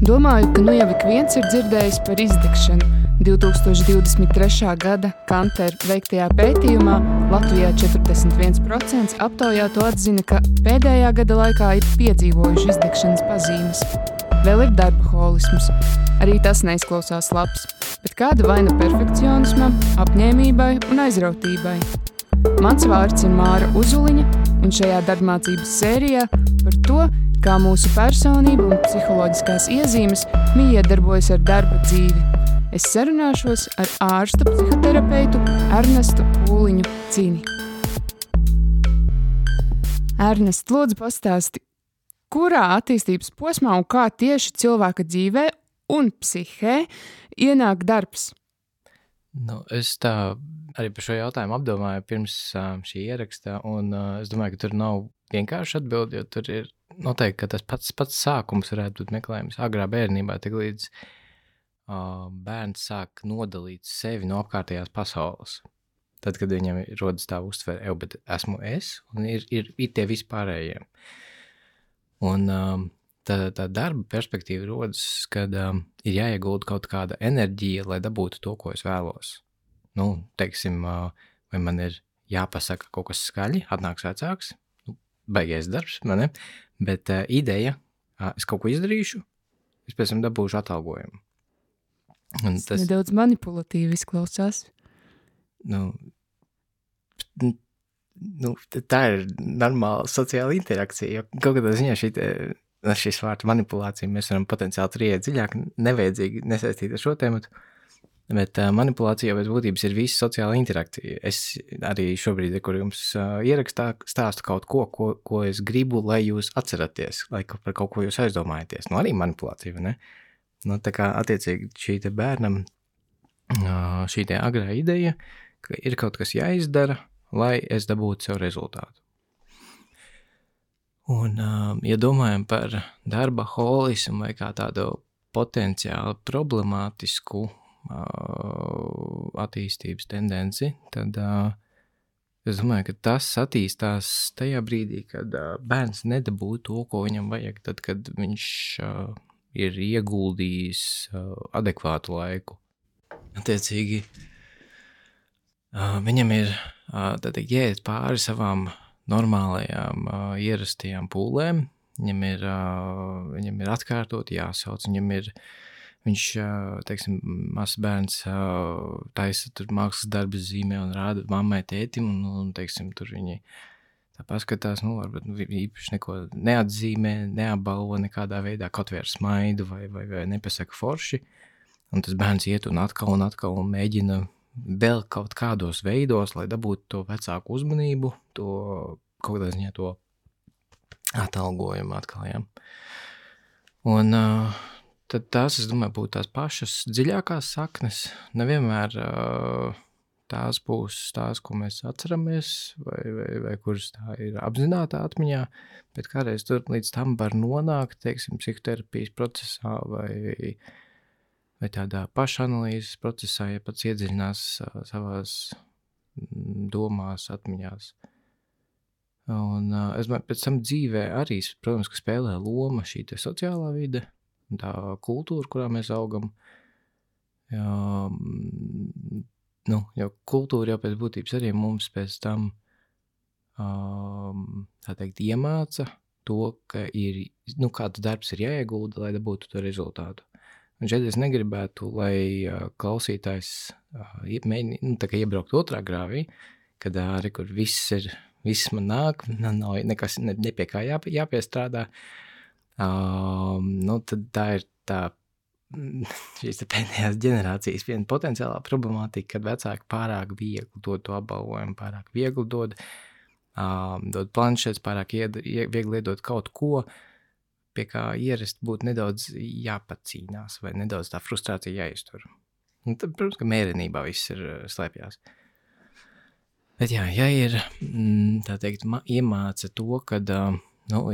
Domāju, ka nu jau ik viens ir dzirdējis par izdegšanu. 2023. gada Kantar veiktajā pētījumā Latvijā 41% aptaujāto atzina, ka pēdējā gada laikā ir piedzīvojuši izdegšanas pazīmes. Vēl ir darbaholisms. Arī tas neizklausās labs, bet kāda vaina perfekcionismam, apņēmībai un aizrautībai. Mans vārds ir Māra Uzuliņa, un šajā darbmācības sērijā par to, kā mūsu personība un psiholoģiskās iezīmes miedarbojas ar darba dzīvi. Es sarunāšos ar ārstu psihoterapeitu Ernestu Pūliņu Cini. Ernest, lūdzu pastāsti, kurā attīstības posmā un kā tieši cilvēka dzīvē un psihē ienāk darbs? Es tā arī par šo jautājumu apdomāju pirms šī ieraksta, un es domāju, ka tur nav vienkārši atbildi, jo tur ir noteikti, ka tas pats sākums varētu būt meklējums agrā bērnībā, tik līdz bērns sāk nodalīt sevi no apkārtējās pasaules. Tad, kad viņam rodas tā uztvere, bet esmu es, un ir tie vispārējie. Un tā darba perspektīva rodas, kad ir jāiegulda kaut kāda enerģija, lai dabūtu to, ko es vēlos. Teiksim, vai man ir jāpasaka kaut kas skaļi, atnāks vecāks, baigais darbs, man ne? Bet ideja, es kaut ko izdarīšu, es pēc tam dabūšu atalgojumu. Tas nedaudz manipulatīvi izklausās. Tā ir normāla sociāla interakcija, jo kaut kādā ziņā šis vārds manipulācija mēs varam potenciāli tur ieiet dziļāk, nevajadzīgi nesaistīt ar šo tēmatu, bet manipulācija jau pēc būtības ir visa sociāla interakcija. Es arī šobrīd, kur jums ierakstā, stāstu kaut ko es gribu, lai jūs atceraties, lai par kaut ko jūs aizdomājaties. Arī manipulācija, vai ne? Tā kā attiecīgi šī te bērnam, šī te agrā ideja, ka ir kaut kas jāizdara, lai es dabūtu sev rezultātu. Un, ja domājam par darba holismu vai kā tādu potenciāli problemātisku attīstības tendenci, tad es domāju, ka tas attīstās tajā brīdī, kad bērns nedabū to, ko viņam vajag, tad, kad viņš ir ieguldījis adekvātu laiku. Attiecīgi, viņam ir jāiet pāri savām normālajām, ierastajām pūlēm, viņam ir atkārtot jāsauc, viņš, teiksim, mazs bērns taisa tur mākslas darbas zīmē un rāda mammai tētim, un teiksim, tur viņi tā paskatās, varbūt īpaši neko neatzīmē, neapbalvo nekādā veidā, kaut vai ar smaidu vai nepasaka forši, un tas bērns iet un atkal un mēģina vēl kaut kādos veidos, lai dabūtu to vecāku uzmanību, to kaut kādā ziņā to atalgojumu atkal, ja. Un tad tās, es domāju, būtu tās pašas dziļākās saknes, nevienmēr tās būs tās, ko mēs atceramies, vai kuras tā ir apzinātā atmiņā, bet kādreiz tur līdz tam var nonākt, teiksim, psihoterapijas procesā vai tādā pašanalīzes procesā, ja pats iedziļinās savās domās, atmiņās. Un es domāju, pēc tam dzīvē arī, protams, ka spēlē loma šī te sociālā vide, tā kultūra, kurā mēs augam. Jo kultūra jau pēc būtības arī mums pēc tam, tā teikt, iemāca to, ka kāds darbs ir jāiegulda, lai dabūtu to rezultātu. Un šeit es negribētu, lai klausītājs tā kā iebraukt otrā grāvī, kad arī, kur viss man nāk, nav nekas nepie kā jāpiestrādā, tad tā ir tā šīs pēdējās ģenerācijas viena potenciālā problemātika, kad vecāki pārāk viegli dod to apbalvojumu, pārāk viegli dod planšetes, pārāk viegli iedod kaut ko, pie kā ierast būtu nedaudz jāpacīnās vai nedaudz tā frustrācija jāiztur. Un tad, protams, ka mērenībā viss ir slēpjās. Bet ja ir, tā teikt, iemāca to, kad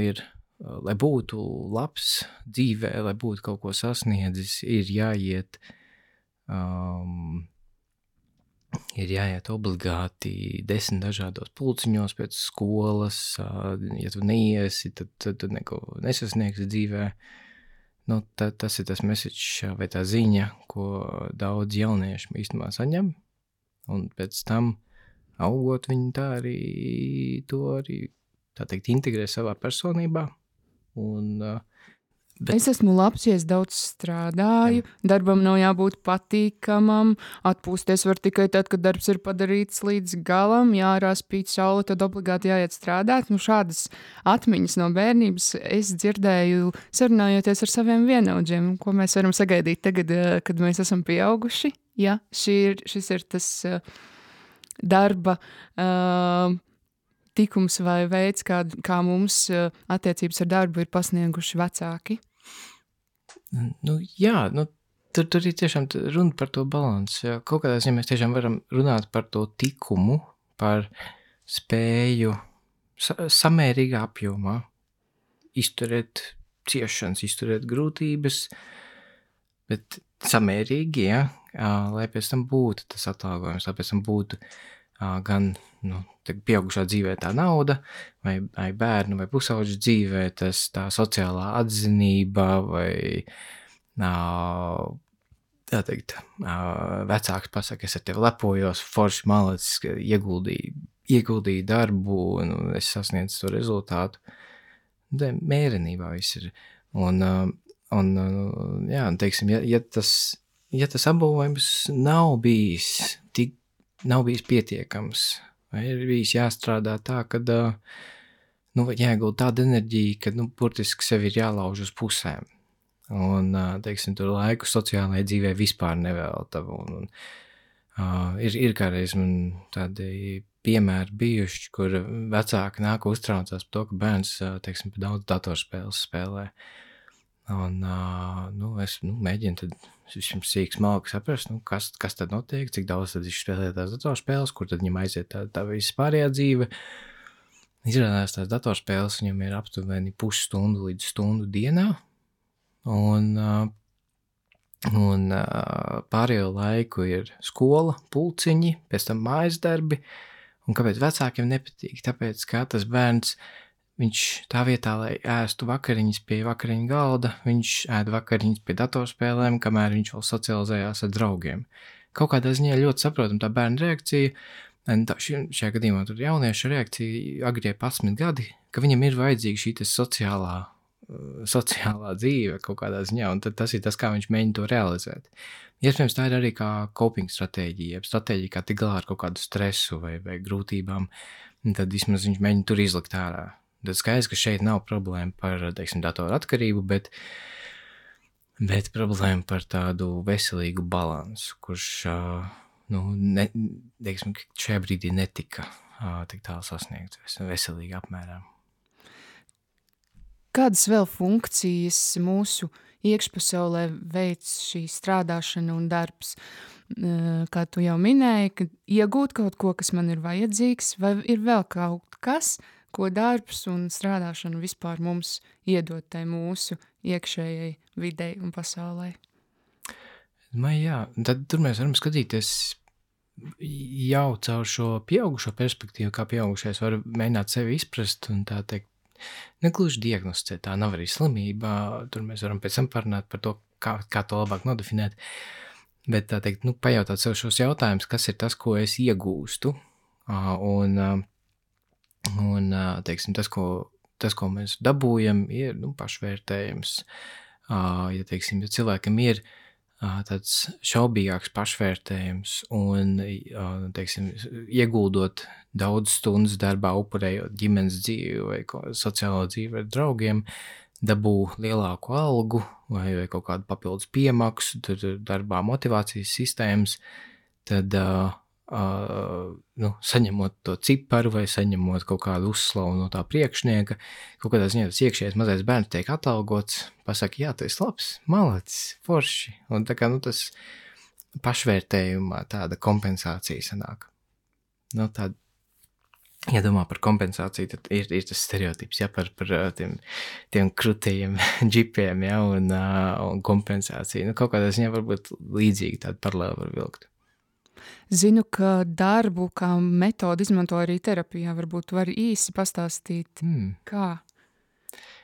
ir, lai būtu labs dzīvē, lai būtu kaut ko sasniedzis, ir jāiet obligāti 10 dažādos pulciņos pēc skolas, ja tu neiesi, tad tu neko nesasniegsi dzīvē. tas ir tas message vai tā ziņa, ko daudz jaunieši īstenībā saņem, un pēc tam augot viņi tā arī, tā teikt, integrē savā personībā. Es esmu labs, ja es daudz strādāju, darbam nav jābūt patīkamam, atpūsties var tikai tad, kad darbs ir padarīts līdz galam, ārā spīd saule, tad obligāti jāiet strādāt. Šādas atmiņas no bērnības es dzirdēju sarunājoties ar saviem vienaudžiem, ko mēs varam sagaidīt tagad, kad mēs esam pieauguši. Ja, šis ir tas darba tikums vai veids, kā mums attiecības ar darbu ir pasnieguši vecāki? Jā, tur ir tiešām runa par to balansu. Kaut kādā ziņā mēs tiešām varam runāt par to tikumu, par spēju samērīgā apjomā izturēt ciešanas, izturēt grūtības, bet samērīgi, lai pēc tam būtu tas atalgojums, lai pēc tam būtu gan pieaugušā dzīvē tā nauda, vai bērnu vai pusauģu dzīvē tā sociālā atzinība, vai tā teikt, vecāks pasaka, es ar tevi lepojos, forši malacis, ieguldīju darbu, un es sasniedzu to rezultātu. Mērenībā viss ir. Teiksim, ja tas apbalvojums nav bijis pietiekams, vai ir bijis jāstrādā tā, kad jāiegulda tāda enerģija, kad burtiski sevi ir jālauž uz pusēm. Un, teiksim, tur laiku sociālajai dzīvē vispār nevelta. Ir kādreiz man tādi piemēri bijuši, kur vecāki nāk uztraucās par to, ka bērns, teiksim, par daudz datorspēles spēlē. Un, es mēģinu tad šim sīk smalki saprast, kas tad notiek, cik daudz tad viņš spēlē tās datorspēles, kur tad viņam aiziet tā visa pārējā dzīve. Izrādās tās datorspēles viņam ir aptuveni pusstundu līdz stundu dienā, un pārējo laiku ir skola, pulciņi, pēc tam mājas darbi, un kāpēc vecākiem nepatīk? Tāpēc, ka tas bērns, viņš tā vietā, lai ēstu vakariņas pie vakariņu galda, viņš ēd vakariņas pie datorspēlēm, kamēr viņš vēl socializējās ar draugiem. Kaut kādā ziņā ļoti saprotam tā bērna reakcija, šajā gadījumā tur jaunieša reakcija agrie 11 gadi, ka viņam ir vajadzīga šī sociālā dzīve kaut kādā ziņā, un tad tas ir tas, kā viņš mēģina to realizēt. Iespējams, tā ir arī kā coping stratēģija, stratēģija, kā tik galā ar kaut kādu stresu vai grūtībām, un tad vismaz viņš mēģina tur izlikt ārā. Tad skaidrs, ka šeit nav problēma par, teiksim, datoru atkarību, bet problēma par tādu veselīgu balansu, kurš, teiksim, šajā brīdī netika tik tālu sasniegts veselīgā apmērā. Kādas vēl funkcijas mūsu iekšpasaulē veic šī strādāšana un darbs? Kā tu jau minēji, ka iegūt kaut ko, kas man ir vajadzīgs, vai ir vēl kaut kas, ko darbs un strādāšana vispār mums iedod tai mūsu iekšējai videi un pasaulē? Jā, tad tur mēs varam skatīties jau caur šo pieaugušo perspektīvu, kā pieaugušais var mēģināt sevi izprast un tā teikt, negluži diagnosticēt, tā nav arī slimība, tur mēs varam pēc tam parunāt par to, kā to labāk nodefinēt, bet tā teikt, pajautāt sev šos jautājumus, kas ir tas, ko es iegūstu, un teiksim, tas, ko mēs dabūjam, ir pašvērtējums. Ja, teiksim, ja cilvēkam ir tāds šaubīgāks pašvērtējums un, teiksim, ieguldot daudz stundas darbā, upurējot ģimenes dzīvi vai sociālo dzīvi ar draugiem, dabū lielāku algu vai kaut kādu papildus piemaksu, tad darbā motivācijas sistēmas, tad saņemot to ciparu vai saņemot kaut kādu uzslavu no tā priekšnieka, kaut kādā ziņā tas iekšējais mazais bērns tiek atalgots, pasaka, jā, tu esi labs, malacis, forši, un tā kā, tas pašvērtējumā tāda kompensācija sanāk. Tāda, ja domā par kompensāciju, tad ir tas stereotips, par tiem krutējiem džipiem, un kompensāciju. Kaut kādā ziņā varbūt līdzīgi tādu paralēli var vilkt. Zinu, ka darbu kā metodu izmanto arī terapijā. Varbūt var īsi pastāstīt, kā?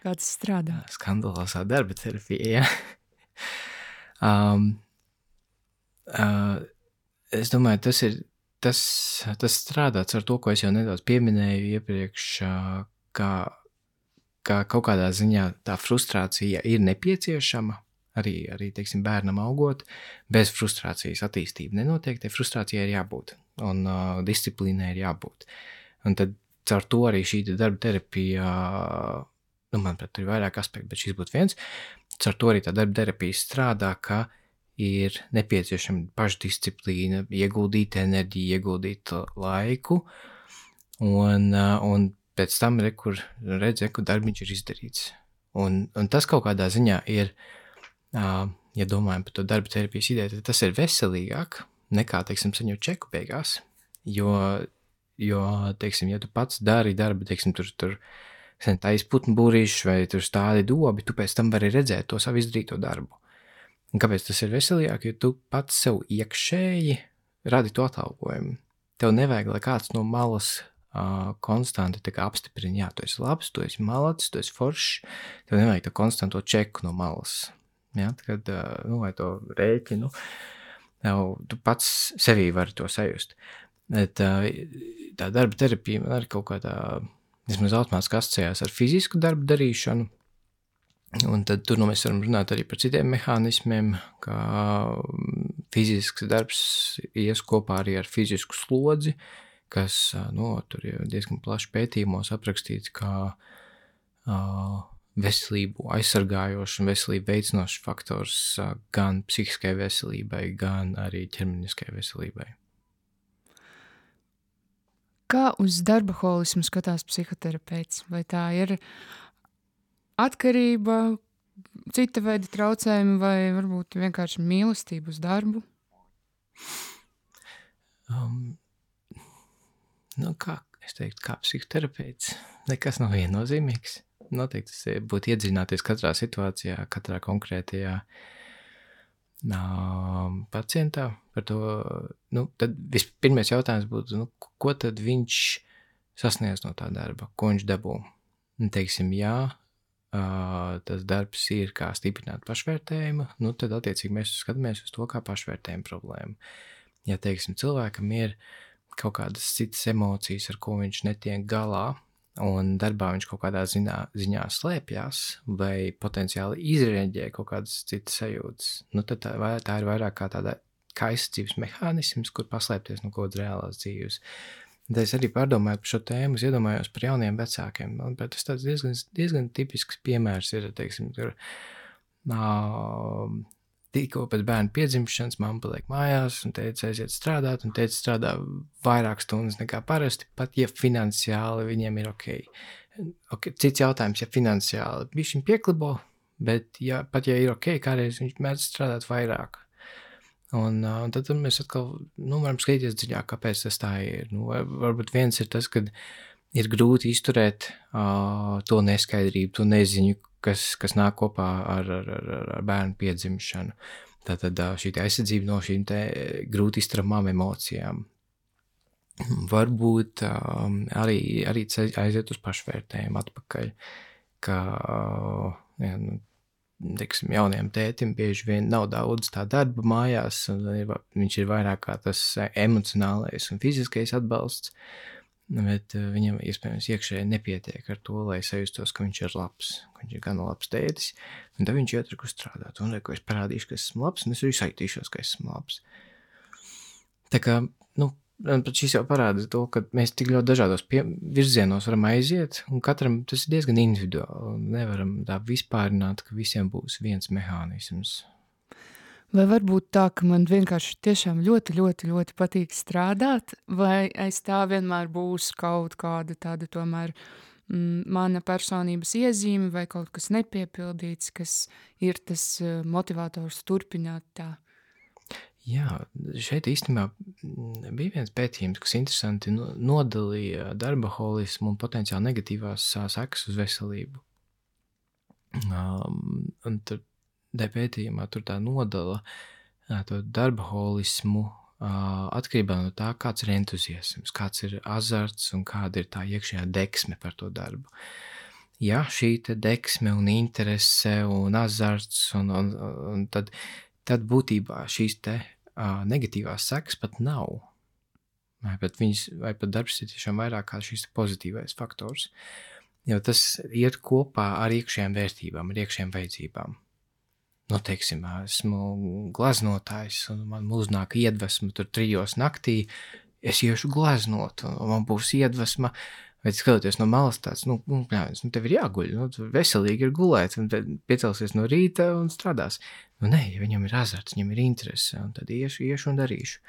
Kā tas strādā? Skandalozā darba terapija, ja. Es domāju, tas strādāts ar to, ko es jau nedaudz pieminēju iepriekš, kā kaut kādā ziņā tā frustrācija ir nepieciešama, arī teiksim, bērnam augot, bez frustrācijas attīstība nenotiek, tai frustrācijai ir jābūt, un disciplīnai ir jābūt. Un tad caur to arī šī darba terapija, manuprāt, tur ir vairāk aspekti, bet šis būtu viens, caur to arī tā darba terapija strādā, ka ir nepieciešama pašdisciplīna, ieguldīt enerģiju, ieguldīt laiku, un pēc tam kur darbiņš ir izdarīts. Un tas kaut kādā ziņā ir, ja domājam par to darba terapijas ideju, tad tas ir veselīgāk nekā, teiksim, saņemt čeku beigās, jo, teiksim, ja tu pats dari darbu, teiksim, tur taisi putnu būrīšus vai tur stādi dobi, tu pēc tam vari redzēt to savu izdarīto darbu. Un kāpēc tas ir veselīgāk? Jo tu pats sev iekšēji radi to atalgojumu. Tev nevajag, lai kāds no malas konstanti tā kā apstiprina, jā, tu esi labs, tu esi malacis, tu esi foršs, tev nevajag tā konstanto čeku no malas. Ja, kad, vai to rēķinu, tu pats sevī vari to sajust. Tā darba terapija man arī kaut kādā, vismaz automātiski asociējās ar fizisku darbu darīšanu, un tad tur mēs varam runāt arī par citiem mehānismiem, kā fizisks darbs ies kopā arī ar fizisku slodzi, kas, tur ir diezgan plaši pētījumos aprakstīts, kā veselību aizsargājošs un veselību veicinošs faktors gan psihiskai veselībai, gan arī ķermeniskai veselībai. Kā uz darbaholismu skatās psihoterapeits? Vai tā ir atkarība, cita veida traucējumi vai varbūt vienkārši mīlestība uz darbu? Kā es teiktu, kā psihoterapeits, nekas nav viennozīmīgs. Noteikti tas būtu iedziļināties katrā situācijā, katrā konkrētajā pacientā. Par to, tad pirmais jautājums būtu, ko tad viņš sasniedz no tā darba, ko viņš dabū. Teiksim, jā, tas darbs ir kā stiprināt pašvērtējumu, tad attiecīgi mēs skatāmies uz to kā pašvērtējumu problēmu. Ja, teiksim, cilvēkam ir kaut kādas citas emocijas, ar ko viņš netiek galā, un darbā viņš kaut kādā ziņā slēpjas vai potenciāli izreaģē kaut kādas citas sajūtas, tad tā ir vairāk kā tāda aizsardzības mehānisms, kur paslēpties no kaut kādas reālās dzīves. Tad es arī pārdomāju par šo tēmu, es iedomājos par jauniem vecākiem, bet tas tāds diezgan tipisks piemērs ir, teiksim, tur tikko pēc bērna piedzimšanas mamma paliek mājās un teica aiziet strādāt, un teica strādā vairāk stundas nekā parasti, pat ja finansiāli viņiem ir ok. Cits jautājums, ja finansiāli viņš pieklibo, bet pat ja ir ok, kādreiz viņš mēdz strādāt vairāk. Un tad mēs atkal varam skatīties dziļāk, kāpēc tas tā ir. Varbūt viens ir tas, ka ir grūti izturēt to neskaidrību, to neziņu, kas nāk kopā ar bērnu piedzimšanu. Tātad šī aizsardzība no šīm grūti izturamām emocijām. Varbūt arī aiziet uz pašvērtējumu atpakaļ, ka teiksim, jauniem tētim bieži vien nav daudz tā darba mājās, un viņš ir vairāk kā tas emocionālais un fiziskais atbalsts, bet viņam iespējams iekšēji nepietiek ar to, lai sajustos, ka viņš ir labs, ka viņš ir gan labs tētis, un tad viņš iet strādāt, un es parādīšu, ka esmu labs, un es arī saitīšos, ka esmu labs. Tā kā, šis jau parāda to, ka mēs tik ļoti dažādos virzienos varam aiziet, un katram tas ir diezgan individuāli, un nevaram tā vispārināt, ka visiem būs viens mehānisms. Vai varbūt tā, ka man vienkārši tiešām ļoti, ļoti, ļoti patīk strādāt, vai aiz tā vienmēr būs kaut kāda tāda tomēr mana personības iezīme vai kaut kas nepiepildīts, kas ir tas motivators turpināt tā? Jā, šeit īstenībā bija viens pētījums, kas interesanti nodalīja darbaholismu un potenciāli negatīvās sekas uz veselību. Un tur pētījumā tur tā nodala to darbaholismu atkarībā no tā, kāds ir entuziasms, kāds ir azarts un kāda ir tā iekšējā deksme par to darbu. ja šī te deksme un interese un azarts, un tad būtībā šīs te negatīvās sekas pat nav. Vai pat darbs ir tiešām vairāk kā šis pozitīvais faktors. Jo tas iet kopā ar iekšējām vērtībām, ar iekšējām vajadzībām. Nu, teiksim, esmu glaznotājs, un man uznāk iedvesma tur 3 naktī, es iešu glaznot, un man būs iedvesma, vai skatoties no malas tāds, tev ir jāguļ, veselīgi ir gulēt, un piecelsies no rīta un strādās. Nē, ja viņam ir azarts, viņam ir interese, un tad iešu un darīšu.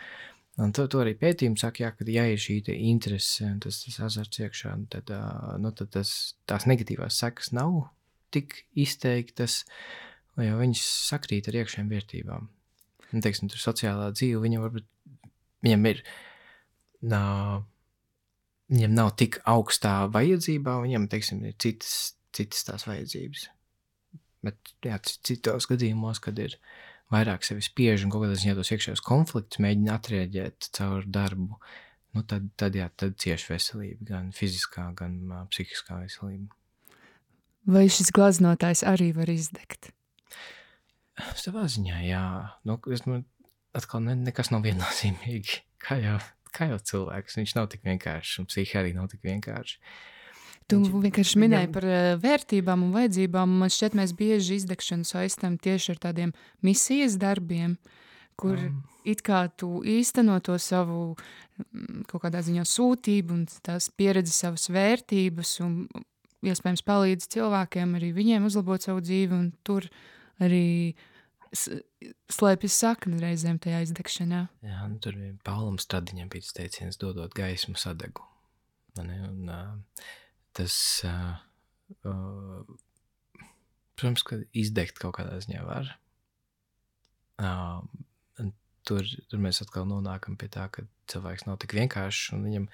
Un to arī pētījumi saka, ka ja ir šī interese un tas azarts iekšā, tad tās negatīvās sekas nav tik izteiktas, jo viņas sakrīt ar iekšējām vērtībām. Un, teiksim, tur sociālā dzīve, viņam nav tik augstā vajadzībā, viņam, teiksim, ir citas tās vajadzības. Bet, jā, citos gadījumos, kad ir vairāk sevi spiež un kaut kādā ziņā tos iekšējos konfliktus mēģina atrēģēt caur darbu, tad cieši veselība, gan fiziskā, gan psihiskā veselība. Vai šis glaznotājs arī var izdegt? Savā ziņā, jā. Atkal nekas nav viennozīmīgi. Kā jau cilvēks. Viņš nav tik vienkāršs, un psihi arī nav tik vienkārši. Tu vienkārši minēji par vērtībām un vajadzībām. Man šķiet, mēs bieži izdegšanu saistam tieši ar tādiem misijas darbiem, kur it kā tu īsteno to savu kaut kādā ziņā sūtību un tās pieredzi savas vērtības un iespējams palīdz cilvēkiem arī viņiem uzlabot savu dzīvi, un tur arī slēpjas sakne reizēm tajā izdegšanā. Jā, tur bija Paulam Stradiņam bija teiciens, dodot gaismu sadegu. Un tas, protams, ka izdegt kaut kādā ziņā var. Tur mēs atkal nonākam pie tā, ka cilvēks nav tik vienkāršs, un viņam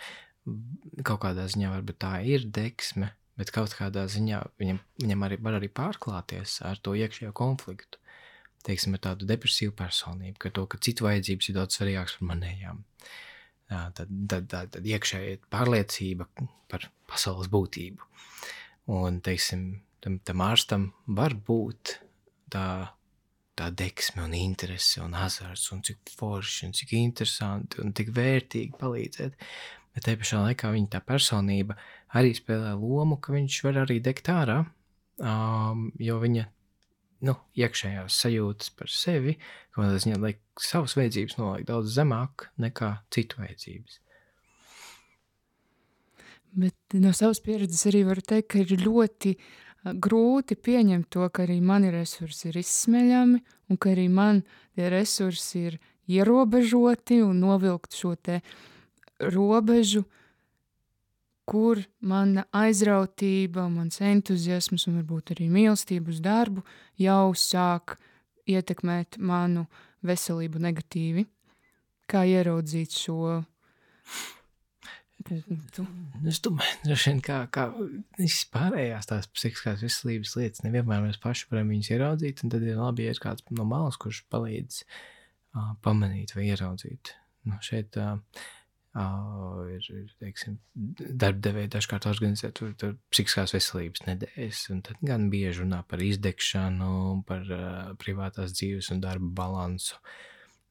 kaut kādā ziņā varbūt tā ir deksme, bet kaut kādā ziņā viņam arī var arī pārklāties ar to iekšējo konfliktu. Teiksim, ar tādu depresīvu personību, ka citu vajadzības ir daudz svarīgāks par manējām. Tad iekšēja pārliecība par pasaules būtību. Un, teiksim, tam ārstam var būt tā deksme un interese un azarts un cik forši un cik interesanti un tik vērtīgi palīdzēt. Bet te pašā laikā viņa tā personība arī spēlē lomu, ka viņš var arī degt ārā, jo viņa iekšējās sajūtas par sevi, kādā ziņā liek savas vajadzības noliek daudz zemāk nekā citu vajadzības. Bet no savas pieredzes arī varu teikt, ka ir ļoti grūti pieņemt to, ka arī mani resursi ir izsmeļami un ka arī man tie resursi ir ierobežoti un novilkt šo te robežu, kur mana aizrautība, mans entuziasms un varbūt arī mīlestība uz darbu jau sāk ietekmēt manu veselību negatīvi. Kā ieraudzīt šo punktu? Es domāju, droši vien kā vispārējās tās psihiskās veselības lietas, nevienmēr mēs paši varam viņus ieraudzīt, un tad ir labi, ja ir kāds no malas, kurš palīdz pamanīt vai ieraudzīt. Šeit ir, teiksim, darbdevēji dažkārt organizē tur psihiskās veselības nedēļas, un tad gan bieži runā par izdegšanu, par privātās dzīves un darba balansu.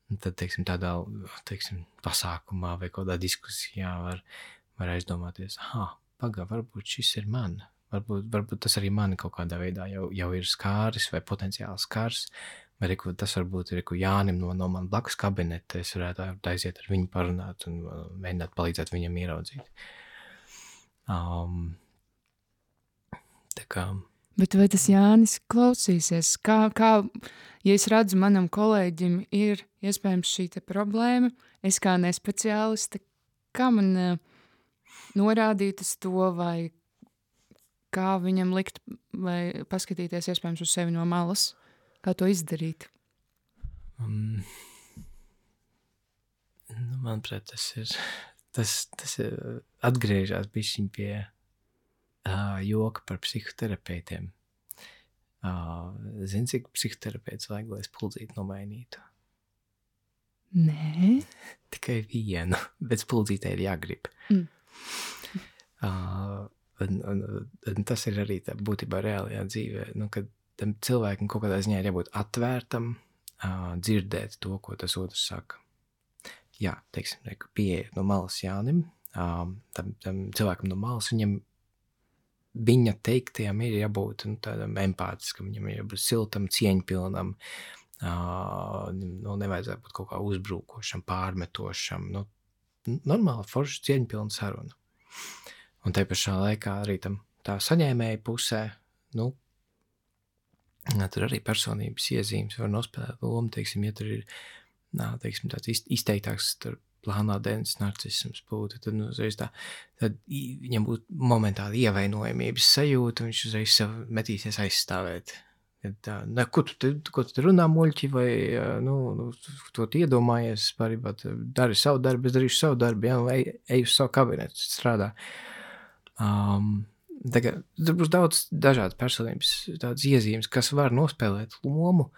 Un tad, teiksim, tādā, pasākumā vai kādā diskusijā var aizdomāties, varbūt šis ir man, varbūt tas arī mani kaut kādā veidā jau ir skāris vai potenciāli skars, vai tas varbūt ir Jānim no man blakus kabineta, es varētu aiziet ar viņu parunāt un mēģināt palīdzēt viņam ieraudzīt. Tā kā... Bet vai tas Jānis klausīsies? Kā, ja es redzu, manam kolēģim ir iespējams šī te problēma, es kā nespeciāliste, kā man norādīt uz to, vai kā viņam likt, vai paskatīties iespējams uz sevi no malas? Kā to izdarīt? Manuprāt, tas ir atgriežās bišķiņ pie joka par psihoterapeitiem. Zini, cik psihoterapeits vajag, lai spuldzīti nomainītu? Nē. Tikai vienu, bet spuldzītē ir jāgrib. un tas ir arī tā būtībā reālajā dzīvē, kad tam cilvēkam kaut kādā ziņā ir jābūt atvērtam, dzirdēt to, ko tas otrs saka. Jā, teiksim, pieeja no malas Jānim, tam cilvēkam no malas, viņa teiktajam ir jābūt tādam empātiskam, viņam ir jābūt siltam, cieņpilnam, nevajadzētu būt kaut kā uzbrukošam, pārmetošam, normāli forši cieņpilna saruna. Un te pašā laikā arī tā saņēmēja pusē, tur arī personības iezīmes var nospēlēt lomu, teiksim, ja tur ir, teiksim, tāds izteiktāks plānā dēļas narcisms būtu, tad viņam būtu momentāli ievainojamības sajūta, viņš uzreiz sev metīsies aizstāvēt. Ko tu runā, muļķi, vai to iedomājies, pārībā dari savu darbu, es darīšu savu darbu, ej uz savu kabinetu, strādā. Tur būs daudz dažādas personības, tādas iezīmes, kas var nospēlēt lomu,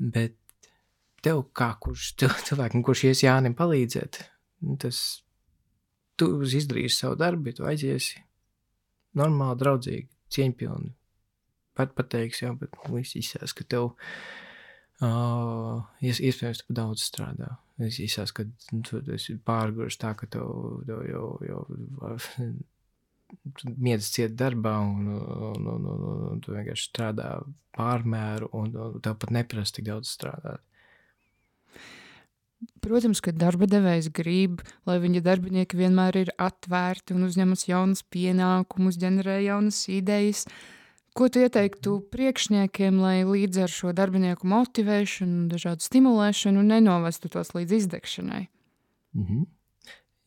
bet tev kā cilvēkam, kurš ies Jānim palīdzēt, tu izdarīsi savu darbu, tu aiziesi normāli, draudzīgi, cieņpilni. Pateiks, jā, bet viss izsās, ka tev iespējams tu daudz strādā. Izsās, ka tu esi pārgurs tā, ka tev jau miedz ciet darbā un tu vienkārši strādā pārmēru un tev pat neprasa tik daudz strādāt. Protams, ka darba devējs grib, lai viņa darbinieki vienmēr ir atvērti un uzņemas jaunas pienākumus, ģenerē jaunas idejas. Ko tu ieteiktu priekšniekiem, lai līdz ar šo darbinieku motivēšanu, dažādu stimulēšanu nenovestu tos līdz izdegšanai?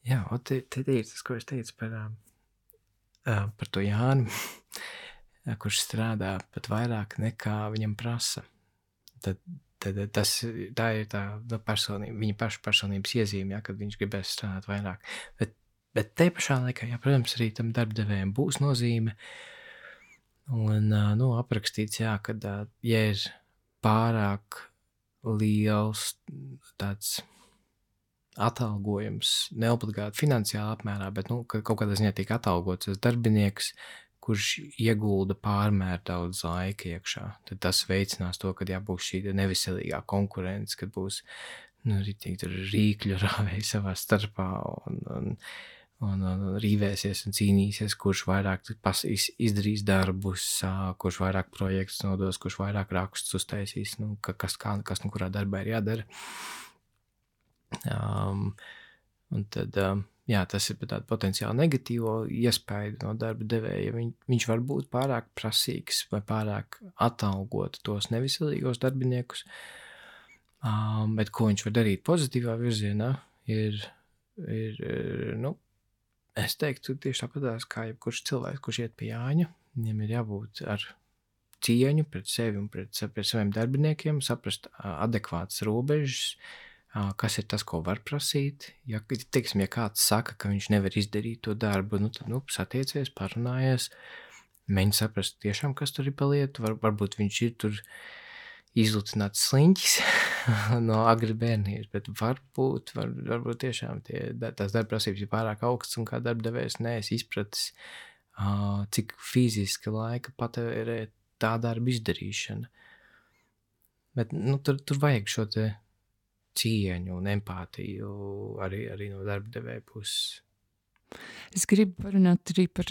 Jā, te ir tas, ko es teicu par to Jāni, kurš strādā pat vairāk nekā viņam prasa. Tad tā ir tā personība, viņa paša personības iezīme, kad viņš gribēs strādāt vairāk. Bet te pašā laikā, protams, arī tam darbdevējiem būs nozīme. Un aprakstīts, kad ja ir pārāk liels tāds atalgojums, neobligāti finansiāli apmērā, bet kaut kādā ziņā tiek atalgots tas darbinieks, kurš iegulda pārmēr daudz laika iekšā. Tad tas veicinās to, kad būs šī neveselīgā konkurence, kad būs rīkļu rāvēji savā starpā un rīvēsies un cīnīsies, kurš vairāk izdarīs darbus, kurš vairāk projektus nodos, kurš vairāk rakstus uztaisīs, kas kurā darbā ir jādara. Un tad, tas ir tāda potenciāli negatīvo iespēju no darba devēja. Viņš var būt pārāk prasīgs vai pārāk atalgot tos neviselīgos darbiniekus, bet ko viņš var darīt pozitīvā virzienā ir es teiktu tieši tāpatās kā jebkurš cilvēks, kurš iet pie Jāņa, viņam ir jābūt ar cieņu pret sevi un pret saviem darbiniekiem, saprast adekvātas robežas, kas ir tas, ko var prasīt. Ja kāds saka, ka viņš nevar izdarīt to darbu, tad satiecies, parunājies, mēģini saprast tiešām, kas tur ir pa lietu. Varbūt viņš ir tur izlutināts sliņķis no agri bērnības, bet varbūt tiešām tās darba prasības ir pārāk augstas un kā darbdevējs neesi izpratis, cik fiziski laika patērē tā darba izdarīšana. Bet tur vajag šo te cieņu un empātiju arī no darba devēja puses. Es gribu parunāt arī par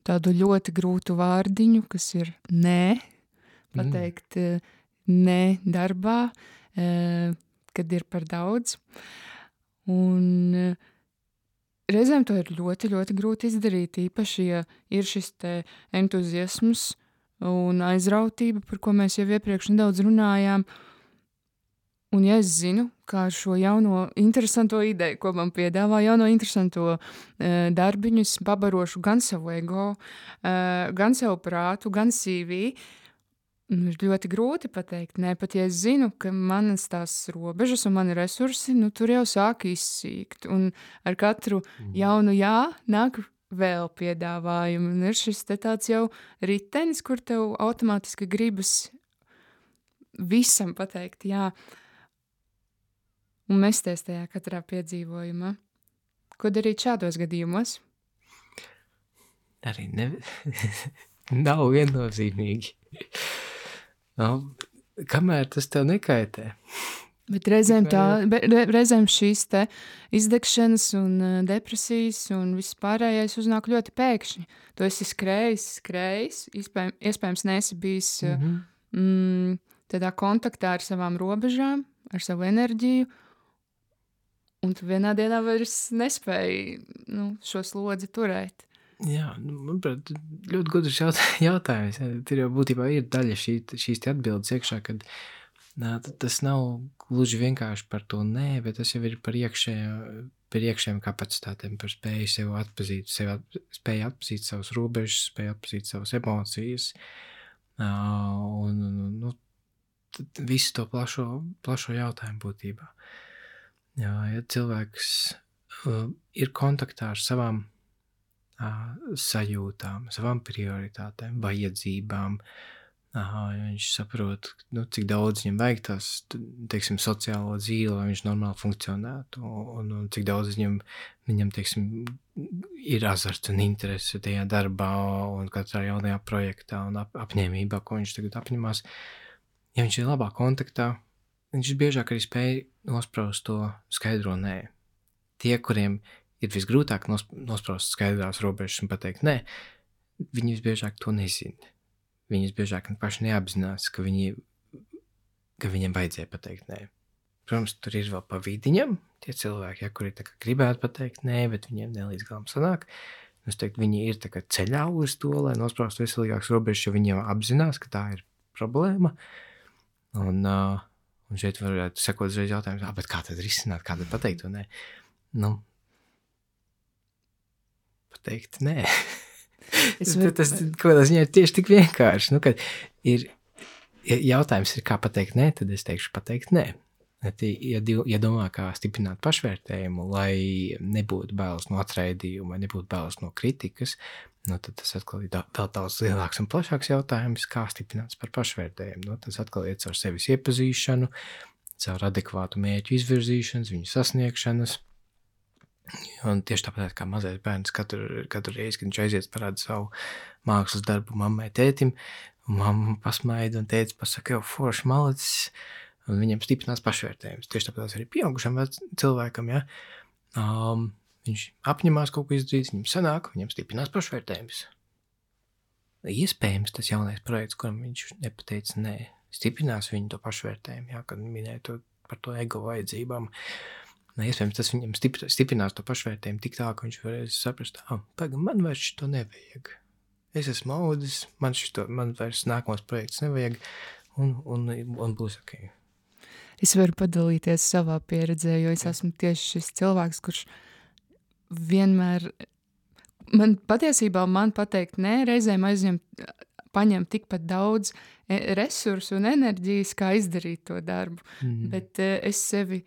tādu ļoti grūtu vārdiņu, kas ir nē. Pateikt nē darbā, kad ir par daudz. Un reizēm to ir ļoti, ļoti grūti izdarīt, īpaši, ja ir šis te entuziasms un aizrautība, par ko mēs jau iepriekš nedaudz runājām. Un ja es zinu, kā ar šo jauno interesanto ideju, ko man piedāvā, jauno interesanto darbiņu, es pabarošu gan savu ego, gan savu prātu, gan CV, ir ļoti grūti pateikt, ne, pat ja es zinu, ka manas tās robežas un mani resursi, tur jau sāk izsīkt. Un ar katru jaunu jā nāk vēl piedāvājumu. Un ir šis te tāds jau ritenis, kur tev automātiski gribas visam pateikt jā. Un mesties tajā katrā piedzīvojumā. Ko darīt šādos gadījumos? arī nav viennozīmīgi. Kamēr tas tev nekaitē. Bet reizēm šīs te izdegšanas un depresijas un viss pārējais uznāk ļoti pēkšņi. Tu esi skrējis, iespējams neesi bijis tādā kontaktā ar savām robežām, ar savu enerģiju, un tu vienā dienā vairs nespēji šo slodzi turēt. Jā, manuprāt, ļoti gudrs jautājums. Tur jau būtībā ir daļa šīs atbildes iekšā, kad tas nav gluži vienkārši par to nē, bet tas jau ir par iekšējām kapacitātēm, par spēju sev atpazīt, spēju atpazīt savas robežas, spēju atpazīt savas emocijas, un visu to plašo jautājumu būtībā. Ja cilvēks ir kontaktā ar savām sajūtām, savām prioritātēm, vajadzībām, viņš saprot, cik daudz viņam vajag tās, teiksim, sociālo dzīvi, lai viņš normāli funkcionētu, un cik daudz viņam, teiksim, ir azarts un interese tajā darbā un katrā jaunajā projektā un apņēmībā, ko viņš tagad apņemās. Ja viņš ir labā kontaktā, viņš biežāk arī spēj nospraust to skaidro nē. Tie, kuriem ir visgrūtāk nospraust skaidrās robežas un pateikt nē, viņi visbiežāk to nezina. Viņi visbiežāk paši neapzinās, ka viņiem vajadzēja pateikt nē. Protams, tur ir vēl pa vidiņam tie cilvēki, kuri gribētu pateikt nē, bet viņiem nelīdz galam sanāk. Es teiktu, viņi ir ceļā uz to, lai nospraust veselīgākas robežas, jo viņiem apzinās, ka tā ir problēma. Un šeit varētu sekot uzreiz jautājums, bet kā tad risināt, kā tad pateikt to nē? Pateikt nē. Tas kādā ziņā ir tieši tik vienkārši. Kad jautājums ir, kā pateikt nē, tad es teikšu pateikt nē. Ja domā, kā stiprināt pašvērtējumu, lai nebūtu bailes no atraidījuma, nebūtu bailes no kritikas, tad tas atkal ir vēl daudz lielāks un plašāks jautājums, kā stiprināt par pašvērtējumu. Tas atkal ir caur sevis iepazīšanu, caur adekvātu mērķu izvirzīšanas, viņu sasniegšanas. Un tieši tāpat kā mazais bērns katru reizi, kad viņš aiziet parāda savu mākslas darbu mammai, tētim, un mamma pasmaida un tētis pasaka, jau forši malacis, un viņam stiprinās pašvērtējums. Tieši tāpat arī pieaugušam cilvēkam, ja, viņš apņemās kaut ko izdarīt, viņam sanāk, viņam stiprinās pašvērtējums. Iespējams tas jaunais projekts, kuram viņš nepateica nē, stiprinās viņu to pašvērtējumu, ja, kad minēja to par to ego vajadzībām. Iespējams, tas viņam stiprinās to pašvērtējumu tik tā, ka viņš varēs saprast, man vairs šito nevajag. Es esmu audis, man vairs nākamos projekts nevajag, un būs ok. Es varu padalīties savā pieredzē, jo es esmu tieši šis cilvēks, kurš vienmēr, man pateikt nē, reizēm paņem tikpat daudz resursu un enerģijas, kā izdarīt to darbu, bet es sevi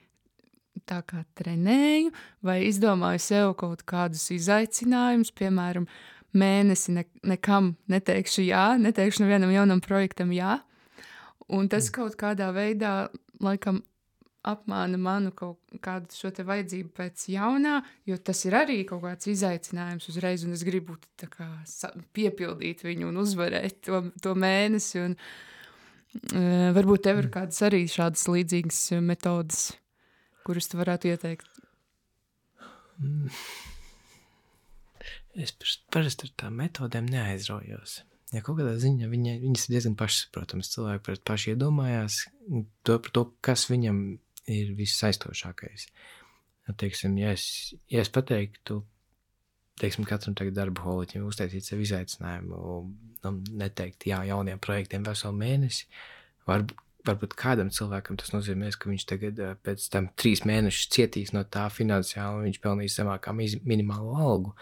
tā kā trenēju vai izdomāju sev kaut kādus izaicinājumus, piemēram, mēnesi nekam neteikšu jā, neteikšu nevienam jaunam projektam jā, un tas kaut kādā veidā, laikam, apmāna manu kaut kādu šo te vajadzību pēc jaunā, jo tas ir arī kaut kāds izaicinājums uzreiz, un es gribu tā kā piepildīt viņu un uzvarēt to mēnesi, un varbūt tev ir kādas arī šādas līdzīgas metodas, kurus tu varētu ieteikt? Es parasti ar tām metodēm neaizraujos. Ja kaut kādā ziņā viņas ir diezgan pašsaprotams. Cilvēki paši iedomājās par to, kas viņam ir vissaistošākais. Teiksim, ja es pateiktu, katram tagad darba holiķim uztaisīt sev izaicinājumu, neteikt jā jauniem projektiem veselu mēnesi, varbūt kādam cilvēkam tas nozīmēs, ka viņš tagad pēc tam 3 mēnešus cietīs no tā finansiāli, un viņš pelnīs zemākā minimālo algu.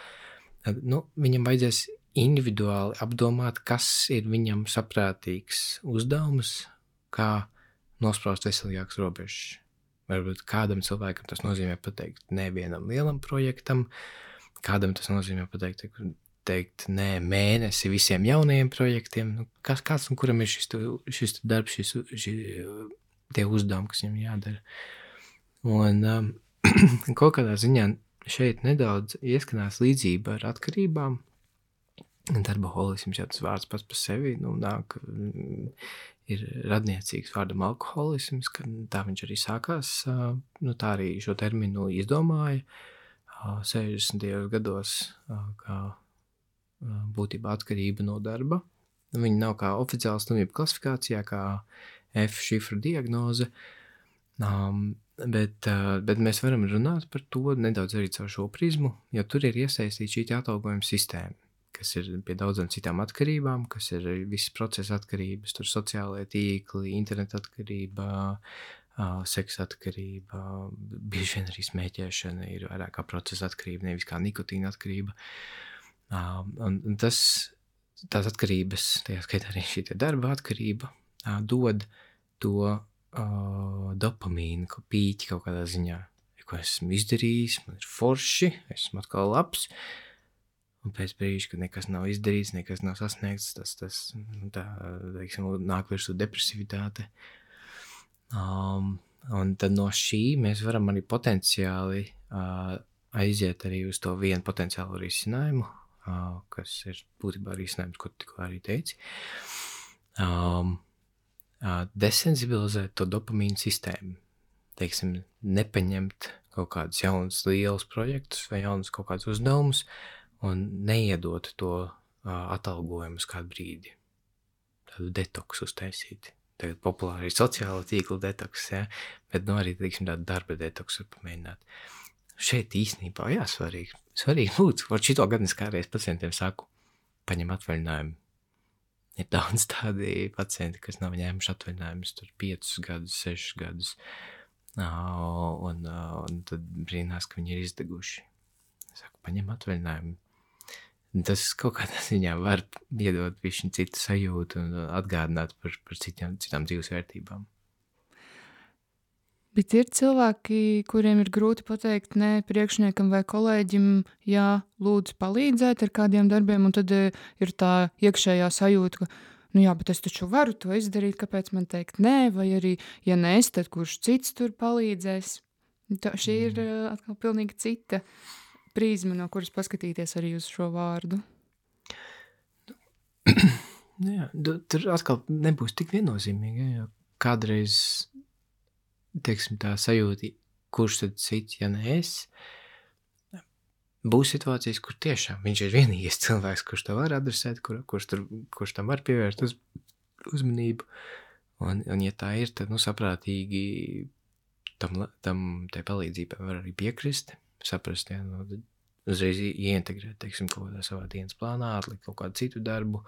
Viņam vajadzēs individuāli apdomāt, kas ir viņam saprātīgs uzdevums, kā nospraust veselīgākas robežas. Varbūt kādam cilvēkam tas nozīmē pateikt nē vienam lielam projektam, kādam tas nozīmē pateikt nē mēnesi visiem jaunajiem projektiem. Kāds un kuram ir šis darbs, tie uzdevumi, kas viņam jādara. Un kaut kādā ziņā šeit nedaudz ieskanās līdzība ar atkarībām. Darbaholisms jau tas vārds pats par sevi nāk, ir radniecīgs vārdam alkoholisms, ka tā viņš arī sākās, tā arī šo terminu izdomāja 60. gados, kā būtībā atkarība no darba. Viņa nav kā oficiāla slimība klasifikācijā, kā F šifra diagnoze, bet mēs varam runāt par to nedaudz arī caur šo prizmu, jo tur ir iesaistīta šī atalgojuma sistēma, kas ir pie daudzām citām atkarībām, kas ir visas procesa atkarības, tur sociālajie tīkli, interneta atkarība, seksa atkarība, bieži vien arī smēķēšana ir vairāk kā procesa atkarība, nevis kā nikotīna atkarība. Un tās atkarības, tajā skaitā arī šī darba atkarība, dod to dopamīnu, pīķi kaut kādā ziņā, ko esmu izdarījis, man ir forši, esmu atkal labs, un pēc brīža, kad nekas nav izdarīts, nekas nav sasniegts, tas nāk virsū depresivitāte. Un tad no šī mēs varam arī potenciāli aiziet arī uz to vienu potenciālu risinājumu, kas ir būtībā risinājums, ko tikko arī teici. Desensibilizēt to dopamīnu sistēmu. Teiksim, nepaņemt kaut kādus jaunus lielus projektus vai jaunus kaut kādus uzdevumus un neiedot to atalgojumu uz kādu brīdi. Tādu detoksu uztaisīt. Tagad populāri ir sociāla tīkla detoks, ja? Bet arī, teiksim, tādu darba detoksu var pamēģināt. Šeit īstenībā, svarīgi būt. Šito gadu es kādreiz pacientiem saku, paņem atvaļinājumu. Ir daudz tādi pacienti, kas nav ņēmuši atvaļinājumus tur 5 gadus, 6 gadus, un tad brīnās, ka viņi ir izdeguši. Es saku, paņem atvaļinājumu. Tas kaut kādā ziņā var iedot višķi citu sajūtu un atgādināt par citām dzīves vērtībām. Bet ir cilvēki, kuriem ir grūti pateikt nē priekšniekam vai kolēģim, jā, lūdzu palīdzēt ar kādiem darbiem, un tad ir tā iekšējā sajūta, ka, bet es taču varu to izdarīt, kāpēc man teikt nē, vai arī, ja nē es, tad kurš cits tur palīdzēs. Šī ir atkal pilnīgi cita prizma, no kuras paskatīties arī uz šo vārdu. Jā, tur atkal nebūs tik viennozīmīgi, jo kādreiz teiksim, tā sajūta, kurš tad cits, ja ne es, būs situācijas, kur tiešām viņš ir vienīgais cilvēks, kurš to var adresēt, kurš tam var pievērst uzmanību, un ja tā ir, tad, saprātīgi tai palīdzībai var arī piekrist, saprast, uzreiz ieintegrēt, teiksim, kaut kādā savā dienas plānā, atlikt kaut kādu citu darbu,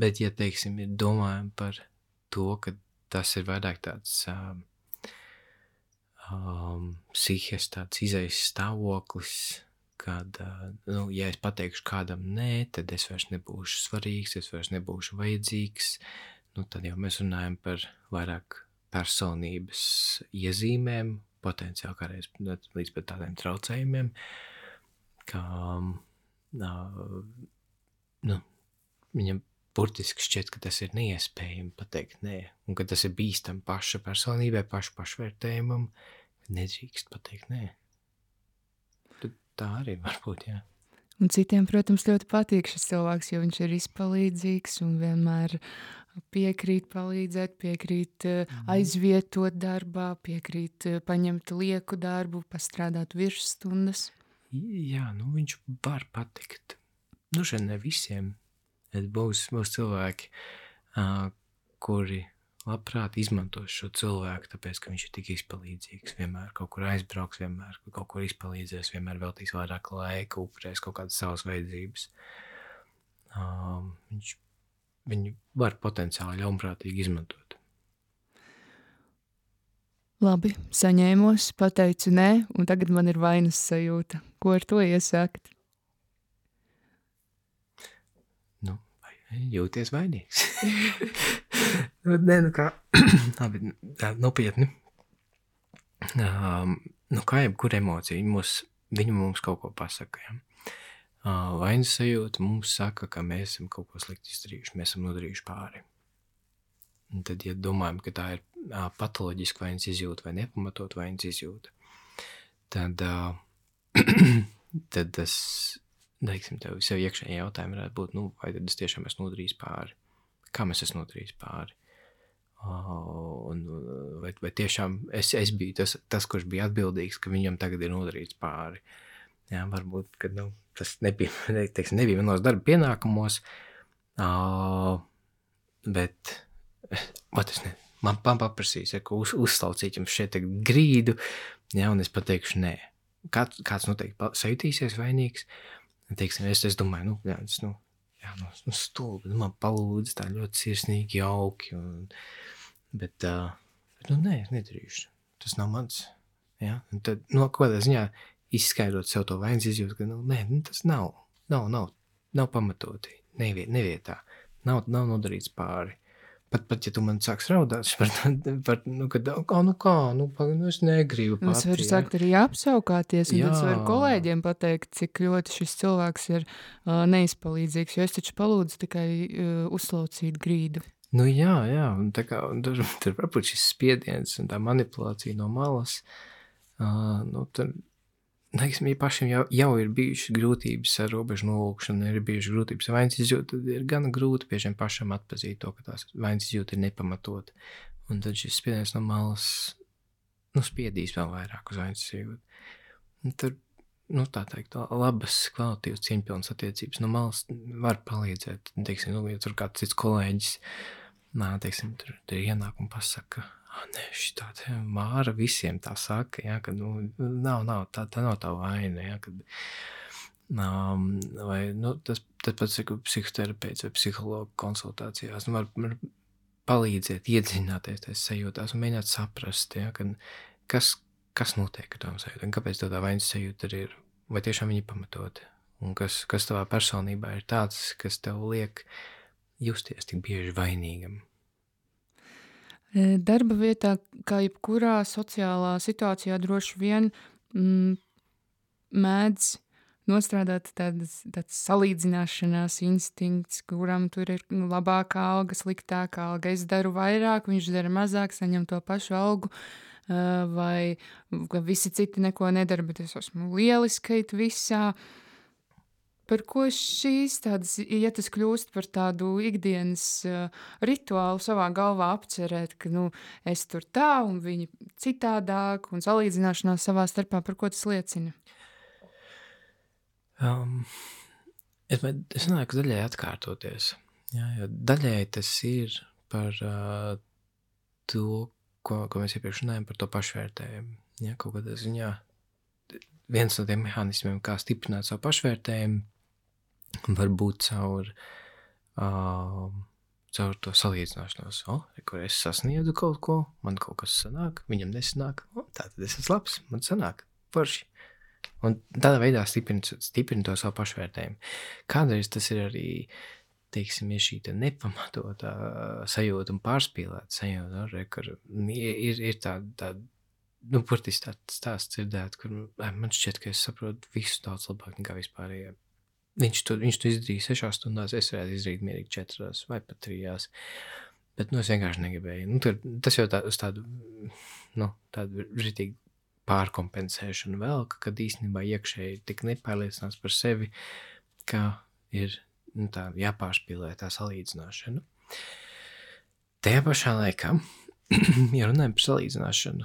bet, ja, teiksim, ir domājam par to, ka tas ir vairāk tāds psihes, tāds izejas stāvoklis, kad, ja es pateikšu kādam nē, tad es vairs nebūšu svarīgs, es vairs nebūšu vajadzīgs, tad jau mēs runājam par vairāk personības iezīmēm, potenciāli kādreiz līdz pat tādiem traucējumiem, ka, viņam burtiski šķiet, ka tas ir neiespējami pateikt nē, un ka tas ir bīstam paša personībai, pašvērtējumam, nedrīkst pateikt nē. Tad tā arī var būt, jā. Un citiem, protams, ļoti patīk šis cilvēks, jo viņš ir izpalīdzīgs un vienmēr piekrīt palīdzēt, piekrīt aizvietot darbā, piekrīt paņemt lieku darbu, pastrādāt virsstundas. Jā, viņš var patikt. Šeit ne visiem. Būs cilvēki, kuri labprāt izmantos šo cilvēku, tāpēc, ka viņš ir tik izpalīdzīgs, vienmēr kaut kur aizbrauks, vienmēr kaut kur izpalīdzēs, vienmēr veltīs vairāk laika, upurēs kaut kādas savas vajadzības. Viņu var potenciāli ļaunprātīgi izmantot. Labi, saņēmos, pateicu nē, un tagad man ir vainas sajūta. Ko ar to iesākt? Jūties vainīgs. Kā nopietni. Kā jebkura emocija, viņa mums kaut ko pasaka. Ja? Vainas sajūta mums saka, ka mēs esam kaut ko slikti izdarījuši, mēs esam nodarījuši pāri. Un tad, ja domājam, ka tā ir patoloģiska vainas izjūta vai nepamatot vainas izjūta, tad tad tas, teiksim, tev sev iekšēji jautājumi varētu būt, vai tad es tiešām esmu nodarījis pāri? Kā mēs esmu nodarījis pāri? Vai tiešām es biju tas, kurš bija atbildīgs, ka viņam tagad ir nodarīts pāri? Jā, varbūt, ka tas nebija manos darba pienākumos, bet man paprasīs, ka uzslaucīt jums šeit grīdu, jā, un es pateikšu nē. Kāds noteikti sajutīsies vainīgs, teiksim, es domāju, stulbi, man palūdz tā ļoti sirsnīgi, jauki, bet nē, es nedarīšu, tas nav mans, jā, un tad, kādā ziņā izskaidrot sev to vainas izjūtu, ka, nē, tas nav pamatoti, nevietā, nav nodarīts pāri. Pat, ja tu man sāks raudāt par es negribu pati. Es varu sākt arī apsaukāties, un tad es varu kolēģiem pateikt, cik ļoti šis cilvēks ir neizpalīdzīgs, jo es taču palūdzu tikai uzslaucīt grīdu. Jā, un tur varbūt šis spiediens un tā manipulācija no malas, tad, ja pašiem jau ir bijušas grūtības ar robežu nolūkšanu, ir bijušas grūtības ar vainas izjūtu, tad ir gana grūti biežiem pašam atpazīt to, ka tās vainas izjūta ir nepamatot. Un tad šis spiediens no malas, spiedīs vēl vairāk uz vainas izjūtu. Un tur, tā teikt, labas, kvalitīvas, cieņpilnas attiecības no malas var palīdzēt. Teiksim, ja tur kāds cits kolēģis, tur ienāk un pasaka, nē, šitā te Māra visiem tā saka, ja, ka, tā nav tā vaina, ja, kad, vai, tad pats psihoterapeits vai psihologa konsultācijās, var palīdzēt iedziļināties tajās sajūtās un mēģināt saprast, ja, kad, kas notiek ar tām sajūtām, kāpēc tā vainas sajūta ir, vai tiešām viņi pamatoti, un kas tavā personībā ir tāds, kas tev liek justies tik bieži vainīgam. Darba vietā, kā jebkurā sociālā situācijā, droši vien mēdz nostrādāt tāds salīdzināšanās instinkts, kuram tur ir labākā alga, sliktākā alga. Es daru vairāk, viņš dara mazāk, saņem to pašu algu, vai visi citi neko nedara, bet es esmu lieliskait visā. Par ko šīs tādas, ja tas kļūst par tādu ikdienas rituālu savā galvā apcerēt, ka, es tur tā un viņi citādāk un salīdzināšanās savā starpā, par ko tas liecina? Es domāju, ka daļai atkārtoties. Jā, jo daļai tas ir par to, ko mēs iepriekš runājam, par to pašvērtējumu. Jā, kaut kādā ziņā viens no tiem mehānismiem, kā stiprināt savu pašvērtējumu, var būt caur to salīdzināšanos. Kur es sasniedzu kaut ko, man kaut kas sanāk, viņam nesanāk, tātad es esmu labs, man sanāk, forši. Un tādā veidā stiprina to savu pašvērtējumu. Kādreiz tas ir arī, teiksim, ir šī nepamatotā sajūta un pārspīlēta sajūta, kur ir tāda, burtiski tāds stāsts dzirdēt, kur man šķiet, ka es saprotu visu daudz labāk nekā vispārējie. Viņš to izdarīja 6 stundās, es varētu izdarīt mierīgi 4 vai pat 3. Bet, es vienkārši negribēju. Tas jau uz tādu ritīgi pārkompensēšanu vēl, kad īstenībā iekšēji tik nepārliecināts par sevi, ka ir jāpārspīlē tā salīdzināšana. Tajā pašā laikā, ja runājam par salīdzināšanu,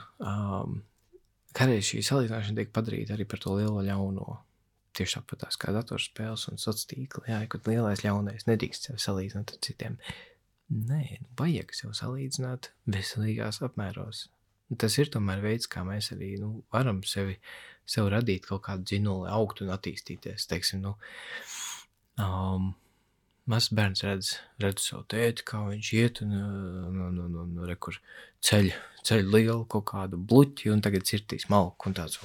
kādreiz šī salīdzināšana tiek padarīta arī par to lielo ļauno. Tieši tāpat tās kā datorspēles un sociālā tīkla, jā, kad lielais ļaunais nedrīkst sev salīdzināt ar citiem. Nē, vajag sev salīdzināt veselīgās apmēros. Tas ir tomēr veids, kā mēs arī varam sev radīt kaut kādu dzinuli, augt un attīstīties. Teiksim, mazs bērns redz savu tēti, kā viņš iet un rekur ceļ lielu kaut kādu bluķi un tagad cirtīs malku un tāds,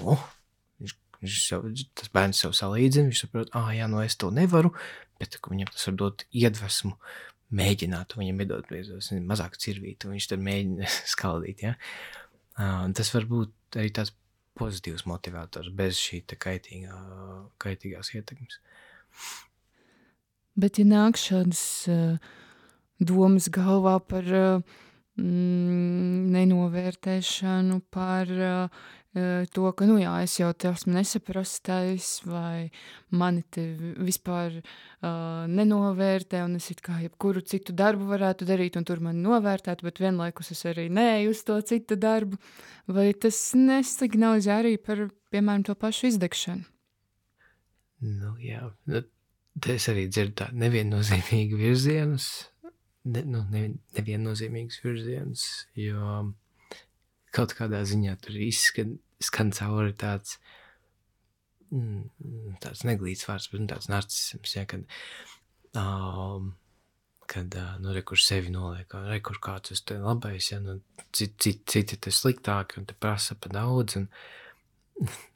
tas bērns sev salīdzina, viņš saprot, es to nevaru, bet viņam tas var dot iedvesmu mēģināt, viņam iedot mazāk cirvīt, un viņš tad mēģina skaldīt, ja. Tas var būt arī tāds pozitīvs motivators bez šī kaitīgās ietekmes. Bet ja nāk šādas domas galvā par nenovērtēšanu, par to, ka, nu jā, es jau te esmu nesaprastais, vai mani te vispār nenovērtē, un es it kā jebkuru citu darbu varētu darīt, un tur mani novērtētu, bet vienlaikus es arī neeju uz to citu darbu. Vai tas nesignalizē arī par, piemēram, to pašu izdegšanu? Nu, jā, te es arī dzirdu tādu neviennozīmīgu virzienus, neviennozīmīgus virzienus, jo kaut kādā ziņā tur skan cauri tāds neglīts vārds, bet tāds narcisms, ja, kad rekur sevi noliek, rekur kāds es te labais, ja, citi te sliktāki un te prasa pa daudz,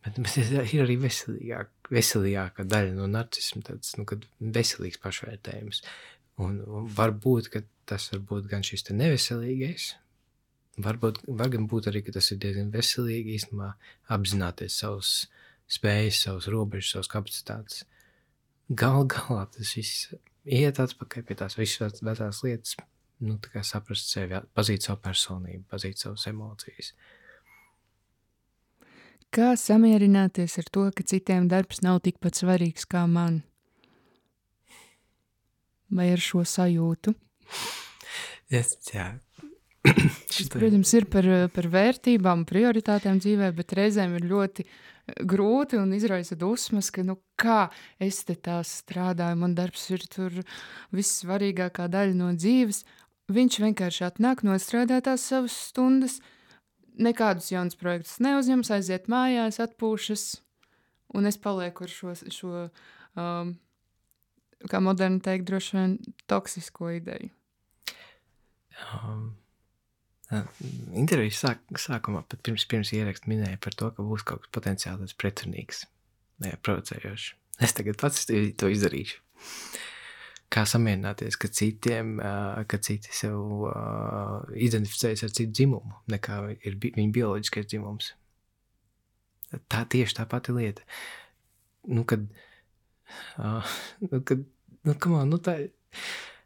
bet ir arī veselīgākā daļa no narcisma, tāds, kad veselīgs pašvērtējums, un varbūt, ka tas varbūt gan šis te neveselīgais, var gan būt arī, ka tas ir diezgan veselīgi īstenībā apzināties savus spējas, savus robežas, savus kapacitātes. Galā tas viss iet atpakaļ pie tās visas vecās lietas, tā kā saprast sevi, pazīt savu personību, pazīt savas emocijas. Kā samierināties ar to, ka citiem darbs nav tikpat svarīgs kā man? Vai ar šo sajūtu? Jā. Tas, protams, ir par vērtībām, prioritātēm dzīvē, bet reizēm ir ļoti grūti un izraisa dusmas, ka, kā es te tā strādāju, man darbs ir tur vissvarīgākā daļa no dzīves. Viņš vienkārši atnāk, nostrādā tās savas stundas, nekādus jaunus projektus neuzņems, aiziet mājās, atpūšas, un es palieku ar šo kā moderni teikt, droši vien toksisko ideju. Intervijas sākumā, pat pirms ierakstu minēja par to, ka būs kaut kas potenciāli pretrunīgs, provocējošs. Es tagad pats to izdarīšu. Kā samierināties, ka citi sev identificējas ar citu dzimumu, nekā ir viņa bioloģiskais dzimums. Tā tieši tā pati lieta.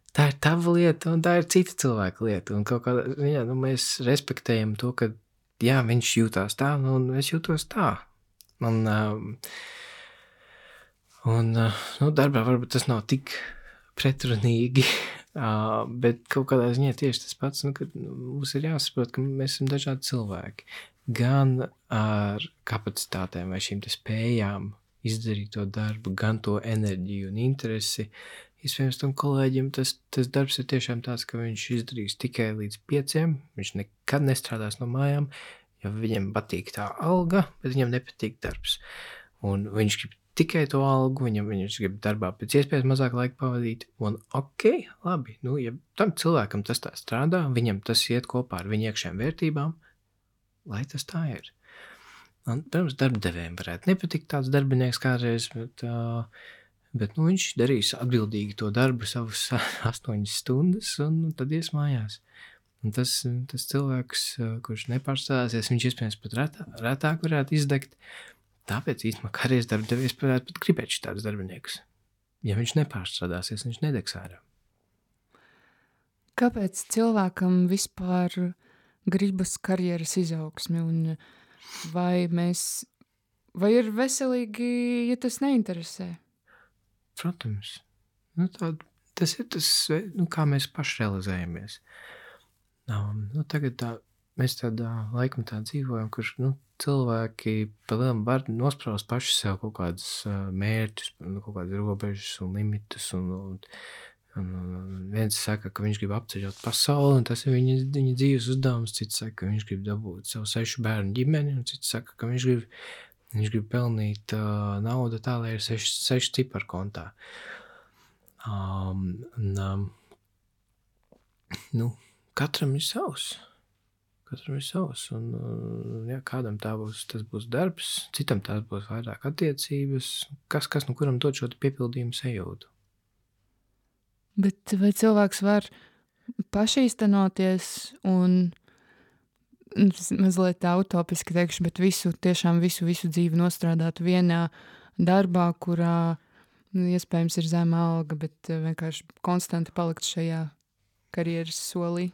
Tā ir tava lieta, un tā ir cita cilvēka lieta. Un kaut kādā ziņā mēs respektējam to, ka jā, viņš jūtās tā, un es jūtos tā. Darbā varbūt tas nav tik pretrunīgi, bet kaut kādā ziņā tieši tas pats, kad mums ir jāsaprot, ka mēs esam dažādi cilvēki. Gan ar kapacitātēm vai šīm te spējām izdarīt to darbu, gan to enerģiju un interesi. Iespējams, tam kolēģim tas darbs ir tiešām tāds, ka viņš izdarīs tikai līdz 5, viņš nekad nestrādās no mājām, jo viņam patīk tā alga, bet viņam nepatīk darbs. Un viņš grib tikai to algu, viņš grib darbā pēc iespējas mazāk laika pavadīt, un labi, ja tam cilvēkam tas tā strādā, viņam tas iet kopā ar viņa iekšējām vērtībām, lai tas tā ir. Un, protams, darbdevējiem varētu nepatikt tāds darbinieks kādreiz, bet viņš darīs atbildīgi to darbu savus 8 stundas un tad ies mājās. Un tas cilvēks, kurš nepārstrādāsies, viņš iespējams pat retāk varētu izdegt. Tāpēc īstenībā kādreiz darbdevējs varētu pat gribēt šitādus darbiniekus. Ja viņš nepārstrādāsies, viņš nedegs ārā. Kāpēc cilvēkam vispār gribas karjeras izaugsmi? Un vai ir veselīgi, ja tas neinteresē? Protams. Tas ir tas, kā mēs paši realizējamies. Tagad mēs tādā laikam tā dzīvojam, kurš cilvēki palielam var nospraust paši sev kaut kādus mērķus, kaut kādas robežas un limitus. Un viens saka, ka viņš grib apceļot pasauli, un tas ir viņa dzīves uzdevums. Cits saka, ka viņš grib dabūt savu 6 bērnu ģimeni, un cits saka, ka viņš grib pelnīt naudu tā, lai ir 6 ciparu kontā. Katram ir savs. Un, kādam tas būs darbs, citam tās būs vairāk attiecības. Kas kuram dod šo piepildījumu sajūtu? Bet vai cilvēks var pašīstenoties un mazliet tā utopiski teikšu, bet visu dzīvi nostrādāt vienā darbā, kurā iespējams ir zema alga, bet vienkārši konstanti palikt šajā karjeras solī?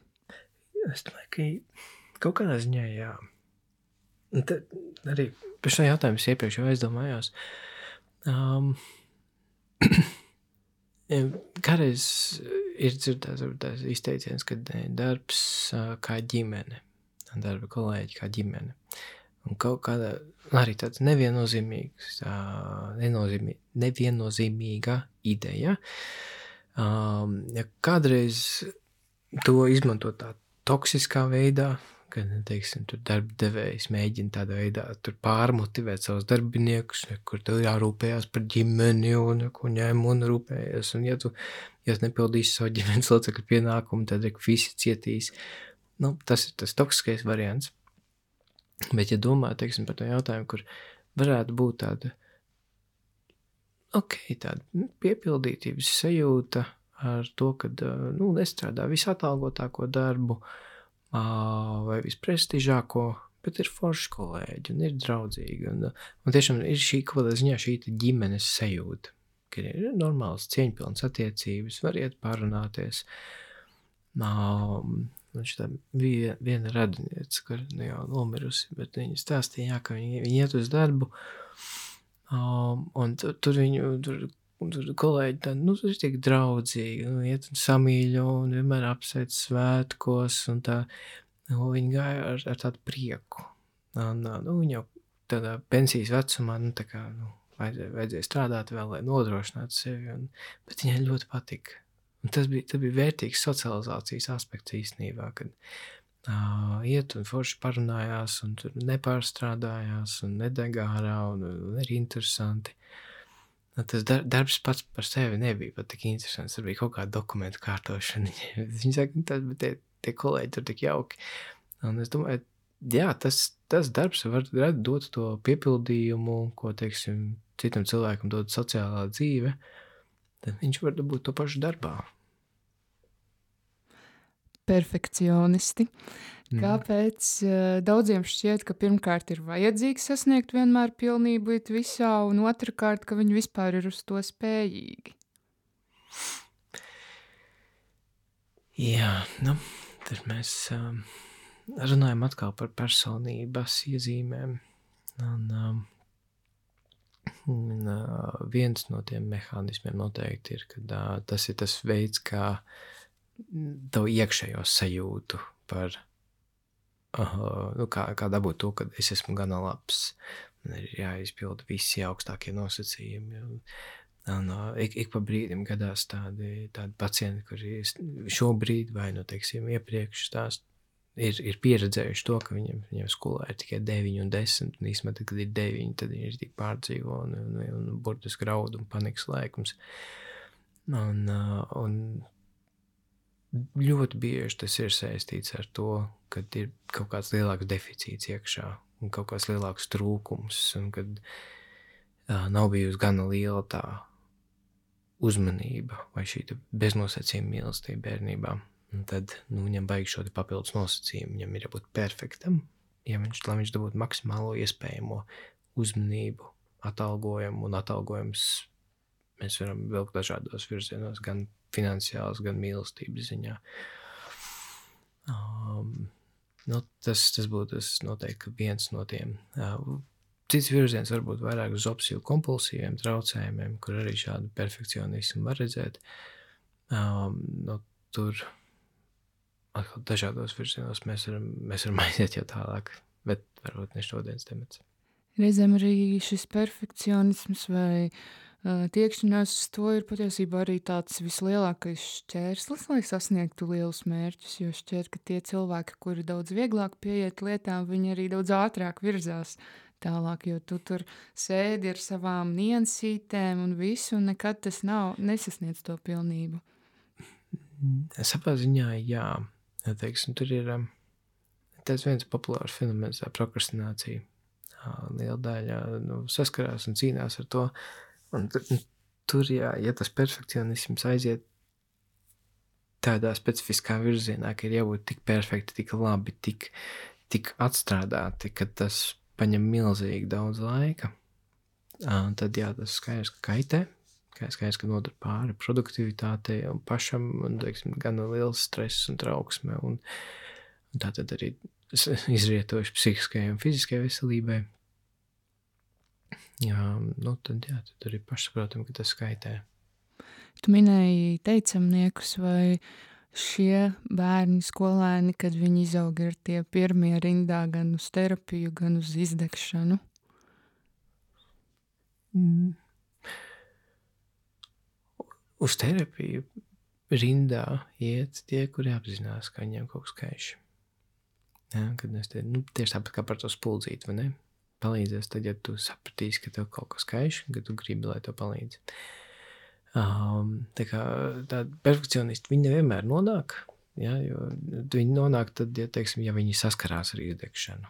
Es domāju, ka kaut kādā ziņā jā. Tad arī par šo jautājumu es iepriekš jau aizdomājos. Kādreiz ir dzirdēts izteiciens, ka darbs kā ģimene, darba kolēģi kā ģimene. Un kaut kāda arī tāds neviennozīmīga ideja. Ja kādreiz to izmanto tā toksiskā veidā, kad, teiksim, tur darba devējs mēģina tādā veidā tur pārmotivēt savus darbiniekus, kur tev jārūpējās par ģimeni un ko ņem un rūpējas. Un ja tu nepildīsi savu ģimenes locekļu pienākumu, tad visi cietīs. Tas ir tas toksiskais variants. Bet, ja domā, teiksim, par to jautājumu, kur varētu būt tāda piepildītības sajūta ar to, ka nestrādā visatalgotāko darbu vai visprestižāko, bet ir forši kolēģi un ir draudzīgi. Un tiešām ir šī kaut kādā ziņā šī ģimenes sajūta, ka ir normāls cieņpilns attiecības, var iet pārunāties. Tā bija viena radiniece, kur jau nomirusi, bet viņa stāstīja, ka viņa iet uz darbu, un tur kolēģi tādi, tur ir tik draudzīgi, iet un samīļo, un vienmēr apsveic svētkos, un tā, viņi gāja ar tādu prieku. Viņa jau tādā pensijas vecumā, vajadzēja strādāt vēl, lai nodrošinātu sevi, bet viņai ļoti patika. Un tas bija vērtīgs socializācijas aspekts īstenībā, kad iet un forši parunājās, un tur nepārstrādājās, un nedegā ārā, un ir interesanti. Tas darbs pats par sevi nebija pat tik interesants, tur bija kaut kāda dokumentu kārtošana. Viņi saka, bet tie kolēģi tur tik jauki. Un es domāju, jā, tas darbs var dot to piepildījumu, ko, teiksim, citam cilvēkam dod sociālā dzīve, tad viņš var dabūt to pašu darbā. Perfekcionisti. Kāpēc daudziem šķiet, ka pirmkārt ir vajadzīgs sasniegt vienmēr pilnību visā, un otrkārt, ka viņi vispār ir uz to spējīgi? Jā, tad mēs runājam atkal par personības iezīmēm. Un viens no tiem mehānismiem noteikti ir, ka tas ir tas veids, kā tavu iekšējo sajūtu par, kā dabūt to, ka es esmu gana labs. Man ir jāizpilda visi augstākie nosacījumi. Un ik pa brīdim gadās tādi pacienti, kuri šobrīd vai, teiksim, iepriekš ir pieredzējuši to, ka viņiem skolā ir tikai 9 un 10, un īstenībā, kad ir 9, tad viņi ir tik pārdzīvo un burtiski raud un panikas laikums. Un ļoti bieži tas ir saistīts ar to, ka ir kaut kāds lielāks deficīts iekšā un kaut kāds lielāks trūkums, un kad nav bijusi gana liela tā uzmanība vai šī beznosacījuma mīlestība bērnībā. Un tad viņam vajag šo papildus nosacījumu, viņam ir jābūt perfektam, lai viņš dabūtu maksimālo iespējamo uzmanību, atalgojumu, un atalgojums mēs varam vilkt dažādos virzienos, gan finansiāls, gan mīlestības ziņā. Tas būtu noteikti viens no tiem. Cits virziens varbūt vairāk uz obsesīvu kompulsīviem traucējumiem, kur arī šādu perfekcionismu var redzēt. Tur atkal dažādos virzienos mēs varam aiziet jau tālāk, bet varbūt ne šodienas temats. Reizēm arī šis perfekcionisms vai tiekšanās uz to ir patiesībā arī tāds vislielākais šķērslis, lai sasniegtu lielus mērķus, jo šķiet, ka tie cilvēki, kuri daudz vieglāk pieiet lietām, viņi arī daudz ātrāk virzās tālāk, jo tu tur sēdi ar savām niansītēm un visu, un nekad tas nesasniedz to pilnību. Savā ziņā, jā. Teiksim, tur ir tas viens populārs fenomens, tā prokrastinācija. Liela daļa saskarās un cīnās ar to. Un tur, jā, ja tas perfekcionisms aiziet tādā specifiskā virzienā, ka ir jābūt tik perfekti, tik labi, tik atstrādāti, ka tas paņem milzīgi daudz laika, tad jā, tas skaidrs, ka kaitē, skaidrs, ka nodara pāri produktivitātei un pašam, un, teiksim, gan liels stress un trauksme, un tā tad arī izrietojuši psihiskajai un fiziskajai veselībai. Tad arī pašsaprotam, ka tas skaitē. Tu minēji teicamniekus, vai šie bērni, skolēni, kad viņi izaug, ir tie pirmie rindā gan uz terapiju, gan uz izdegšanu? Uz terapiju rindā iet tie, kuri apzinās, ka viņiem kaut kas kaiš. Kad mēs tieši tāpat kā par to spuldzīti, vai ne? Palīdzēs tad, ja tu sapratīsi, ka tev kaut kas kaiš, ka tu gribi, lai tev palīdz. Tā kā tādi perfekcionisti, viņi nevienmēr nonāk, jo viņi nonāk tad, ja viņi saskarās ar izdegšanu.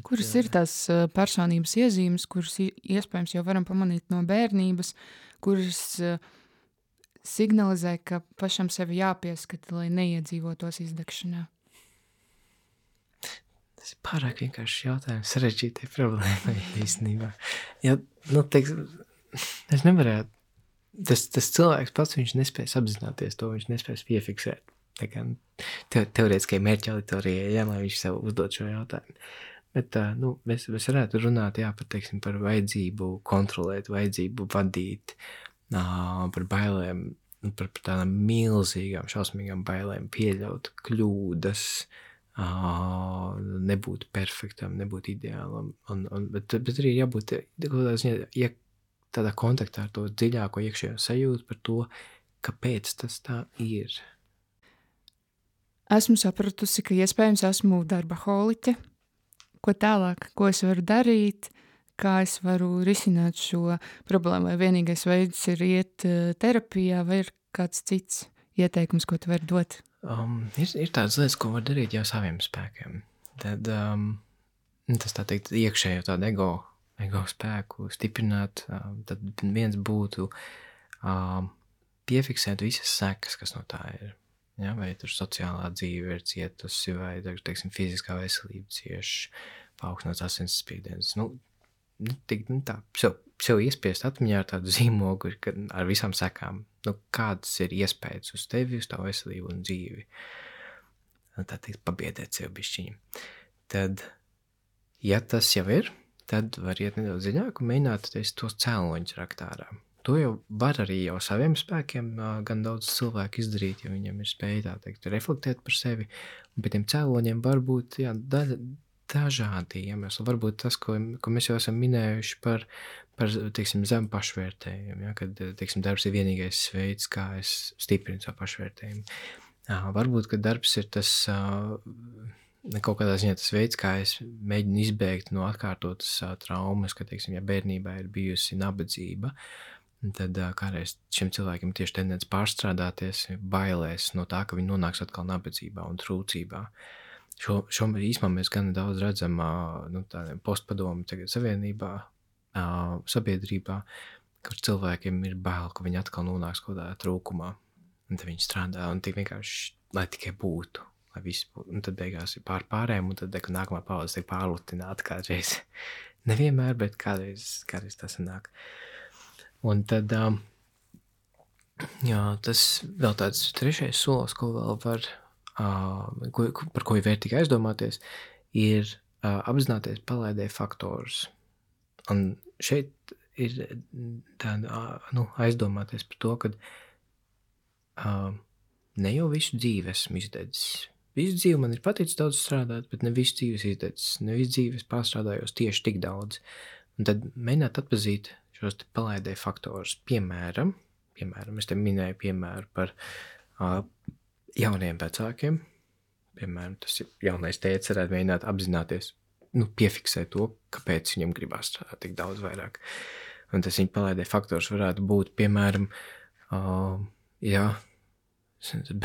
Kuras ir tās personības iezīmes, kuras iespējams jau varam pamanīt no bērnības, kuras signalizē, ka pašam sevi jāpieskata, lai neiedzīvotos izdegšanā? Tas ir pārāk vienkāršs jautājums, sarežģītai problēmai īstenībā. Es nevarētu, tas cilvēks pats, viņš nespēs apzināties to, viņš nespēs piefiksēt. Tā kā teorētiskai mērķa auditorijai, lai viņš sev uzdod šo jautājumu. Bet mēs varētu runāt par vajadzību kontrolēt, vajadzību vadīt, par bailēm, par tādām milzīgām, šausmīgām bailēm, pieļaut kļūdas, nebūt perfektam, nebūt ideālam. Bet arī jābūt tādā kontaktā ar to dziļāko iekšējo sajūtu par to, kāpēc tas tā ir. Esmu sapratusi, ka iespējams esmu darbaholiķe. Ko tālāk, ko es varu darīt, kā es varu risināt šo problēmu, vai vienīgais veids ir iet terapijā, vai ir kāds cits ieteikums, ko tu vari dot? Ir tādas lietas, ko var darīt jau saviem spēkiem. Tad tas tā teikt iekšējo tādu ego spēku stiprināt, tad viens būtu piefiksēt visas sekas, kas no tā ir. Ja, vai tur sociālā dzīve ir cietusi, vai, teiksim, fiziskā veselība cieši, paaugstināts asinsspiediens. Sev iespiest atmiņā ar tādu zīmogu ar visām sekām. Kādas ir iespējas uz tevi, uz tavu veselību un dzīvi. Tā teikt, pabiedēt sev bišķiņu. Tad, ja tas jau ir, tad var iet nedaudz dziļāk un mēģināt tos cēloņus rakt ārā. To jau var arī jau saviem spēkiem gan daudz cilvēku izdarīt, jo viņiem ir spēja tā teikt reflektēt par sevi. Un pie tiem cēloņiem var būt dažādi iemesli. Varbūt tas, ko mēs jau esam minējuši par teiksim, zemu pašvērtējumu, kad teiksim, darbs ir vienīgais veids, kā es stiprinu savu pašvērtējumu. Varbūt, ka darbs ir tas kaut kādā ziņā tas veids, kā es mēģinu izbēgt no atkārtotas traumas, ka, teiksim, ja bērnībā ir bijusi nabadzība, tad kādreiz šiem cilvēkiem tieši tendence pārstrādāties, bailēs no tā, ka viņi nonāks atkal nabadzībā un trūcībā. Šo īsumā mēs gan daudz redzam tādiem postpadomu tagad savienībā, sabiedrībā, kur cilvēkiem ir bail, ka viņi atkal nonāks kaut kādā trūkumā. Un tad viņi strādā un tik vienkārši, lai tikai būtu, lai viss būtu. Un tad beigās ir pārējiem, un tad nākamā paudze tiek pārlutināta kādreiz. Nevienmēr, bet kādreiz tas sanāk. Un tad, tas vēl tāds trešais solis, ko vēl var, par ko ir vērtīgi aizdomāties, ir apzināties palaidēju faktorus. Un šeit ir tāda, aizdomāties par to, ka ne jau visu dzīvi esmu izdedzis. Visu dzīvi man ir paticis daudz strādāt, bet ne visu dzīves izdedzis. Ne visu dzīves pārstrādājos tieši tik daudz. Un tad mēģināt atpazīt šos palaidēju faktorus. Piemēram, es te minēju piemēru par jauniem vecākiem. Piemēram, tas ir jaunais tēvs varētu mēģināt apzināties, piefiksēt to, kāpēc viņam gribās strādāt tik daudz vairāk. Un tas viņa palaidēju faktors varētu būt, piemēram,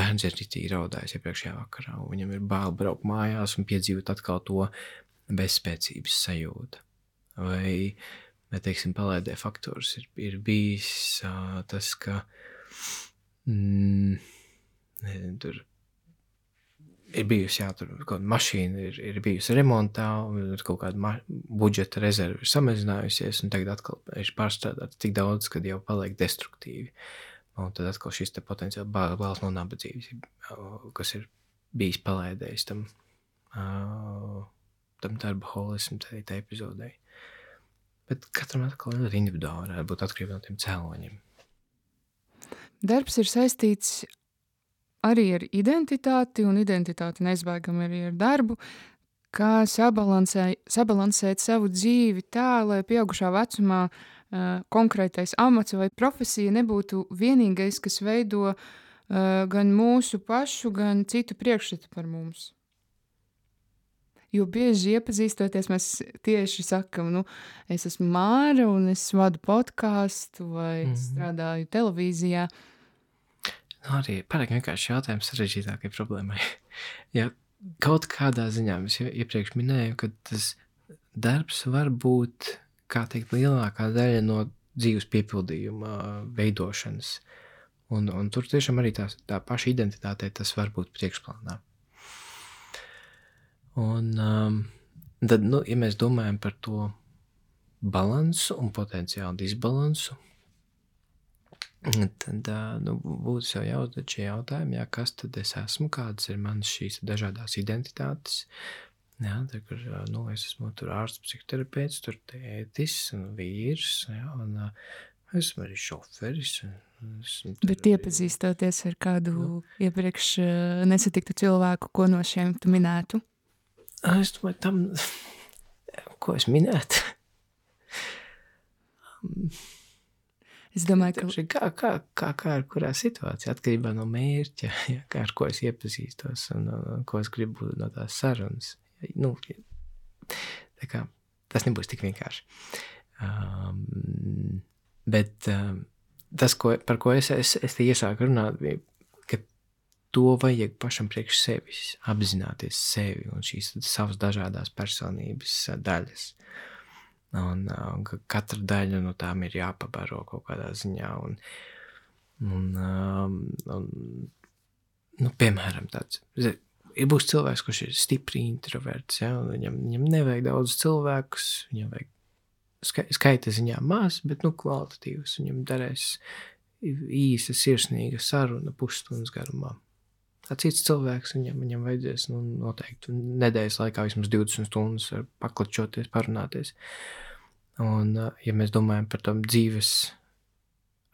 bērns ir ritīgi raudājis iepriekšējā vakarā, un viņam ir bail braukt mājās un piedzīvot atkal to bezspēcības sajūtu. Vai teiksim, palaidēju faktors ir bijis tas, ka tur ir bijusi, tur kaut kāda mašīna ir bijusi remontā, un kaut kāda budžeta rezerva ir samazinājusies, un tagad atkal ir pārstrādāts tik daudz, kad jau paliek destruktīvi. Un tad atkal šis te potenciāli bāls no nabadzības, kas ir bijis palaidējis tam darba holismu tā epizodei. Bet katram atkal ir individuāli, varētu būt atkarībā no tiem cēloņiem. Darbs ir saistīts arī ar identitāti, un identitāti neizbēgami arī ar darbu, kā sabalansēt savu dzīvi tā, lai pieaugušā vecumā konkrētais amats vai profesija nebūtu vienīgais, kas veido gan mūsu pašu, gan citu priekšstatu par mums. Jo bieži iepazīstoties, mēs tieši sakam, es esmu Māra un es vadu podcastu vai strādāju televīzijā. Arī pārāk vienkārši jautājums sarežģītākai problēmai. Ja kaut kādā ziņā es iepriekš minēju, ka tas darbs var būt, kā teikt, lielākā daļa no dzīves piepildījuma veidošanas. Un tur tiešām arī tā paša identitātei tas var būt priekšplānā. Un tad, ja mēs domājam par to balansu un potenciālu disbalansu, tad būtu sev jāuzdod šie jautājumi, kas tad es esmu, kādas ir manas šīs dažādās identitātes. Jā, tad, kur es esmu tur ārsts, psihoterapeits, tur tētis un vīrs, un esmu arī šoferis. Bet iepazīstoties ar kādu iepriekš nesatiktu cilvēku, ko no šiem tu minētu? Es domāju, tam, ko es minētu? Es domāju, ka kā ar kurā situācijā, atkarībā no mērķa, kā ar ko es iepazīstos un ko es gribu no tās sarunas. Tā kā tas nebūs tik vienkārši. Bet tas, par ko es te iesāku runāt, bija, ka to vajag pašam priekš sevis, apzināties sevi un šīs savas dažādās personības daļas. Un katra daļa no tām ir jāpabaro kaut kādā ziņā. Piemēram, tāds. Būs cilvēks, kurš ir stipri introverts, un viņam nevajag daudz cilvēkus, viņam vajag skaita ziņā maz, bet kvalitatīvs. Viņam darēs īsa, sirsnīga saruna pusstundas garumā. Cits cilvēks, viņam vajadzēs noteikti nedēļas laikā vismaz 20 stundas paklačoties, parunāties. Un, ja mēs domājam par tām dzīves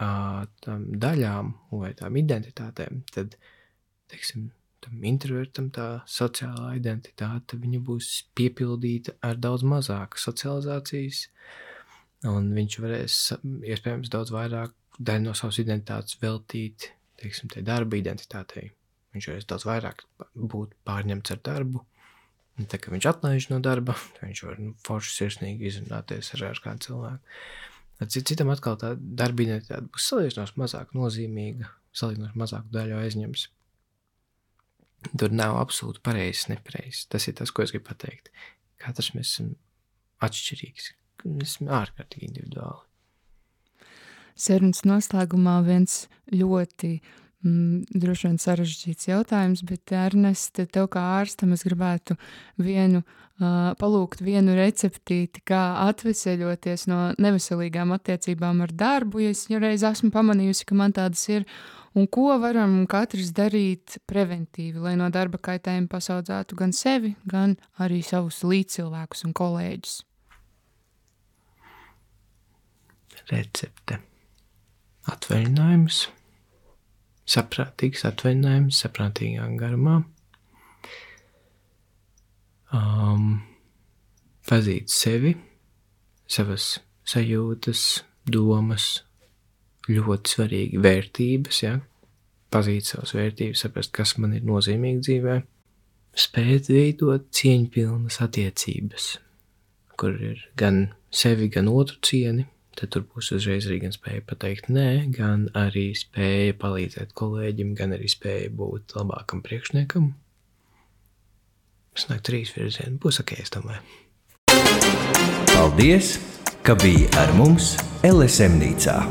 tām daļām vai tām identitātēm, tad, teiksim, tam introvertam tā sociālā identitāte, viņa būs piepildīta ar daudz mazāku socializācijas, un viņš varēs, iespējams, daudz vairāk daļu no savas identitātes veltīt, teiksim, tai darba identitātei. Viņš varēs daudz vairāk būt pārņemts ar darbu. Un tā, ka viņš atlaiž no darba, viņš var forši sirsnīgi izrunāties ar kādu cilvēku. Citam atkal tā darba identitāte būs salīdzinoši mazāk nozīmīga, salīdzinoši mazāku daļu aizņems. Tur nav absolūti pareizs, nepareizs. Tas ir tas, ko es gribu pateikt. Katrs mēs esam atšķirīgs. Mēs esam ārkārtīgi individuāli. Sarunas noslēgumā viens ļoti droši vien sarežģīts jautājums, bet Ernest, tev kā ārstam es gribētu palūgt vienu receptīti, kā atveseļoties no neveselīgām attiecībām ar darbu, ja es reiz esmu pamanījusi, ka man tādas ir, un ko varam katrs darīt preventīvi, lai no darba kaitējuma pasaudzētu gan sevi, gan arī savus līdzcilvēkus un kolēģus. Recepte. Atvaļinājums. Saprātīgs atvaļinājums, saprātīgā garumā. Pazīt sevi, savas sajūtas, domas, ļoti svarīgi vērtības, pazīt savas vērtības, saprast, kas man ir nozīmīgi dzīvē. Spēt veidot cieņpilnas attiecības, kur ir gan sevi, gan otru cieni. Tad tur būs uzreiz arī gan spēja pateikt nē, gan arī spēja palīdzēt kolēģim, gan arī spēja būt labākam priekšniekam. Sanāk 3 virzieni. Būs ok, es domāju. Paldies, ka biji ar mums LSM nīcā.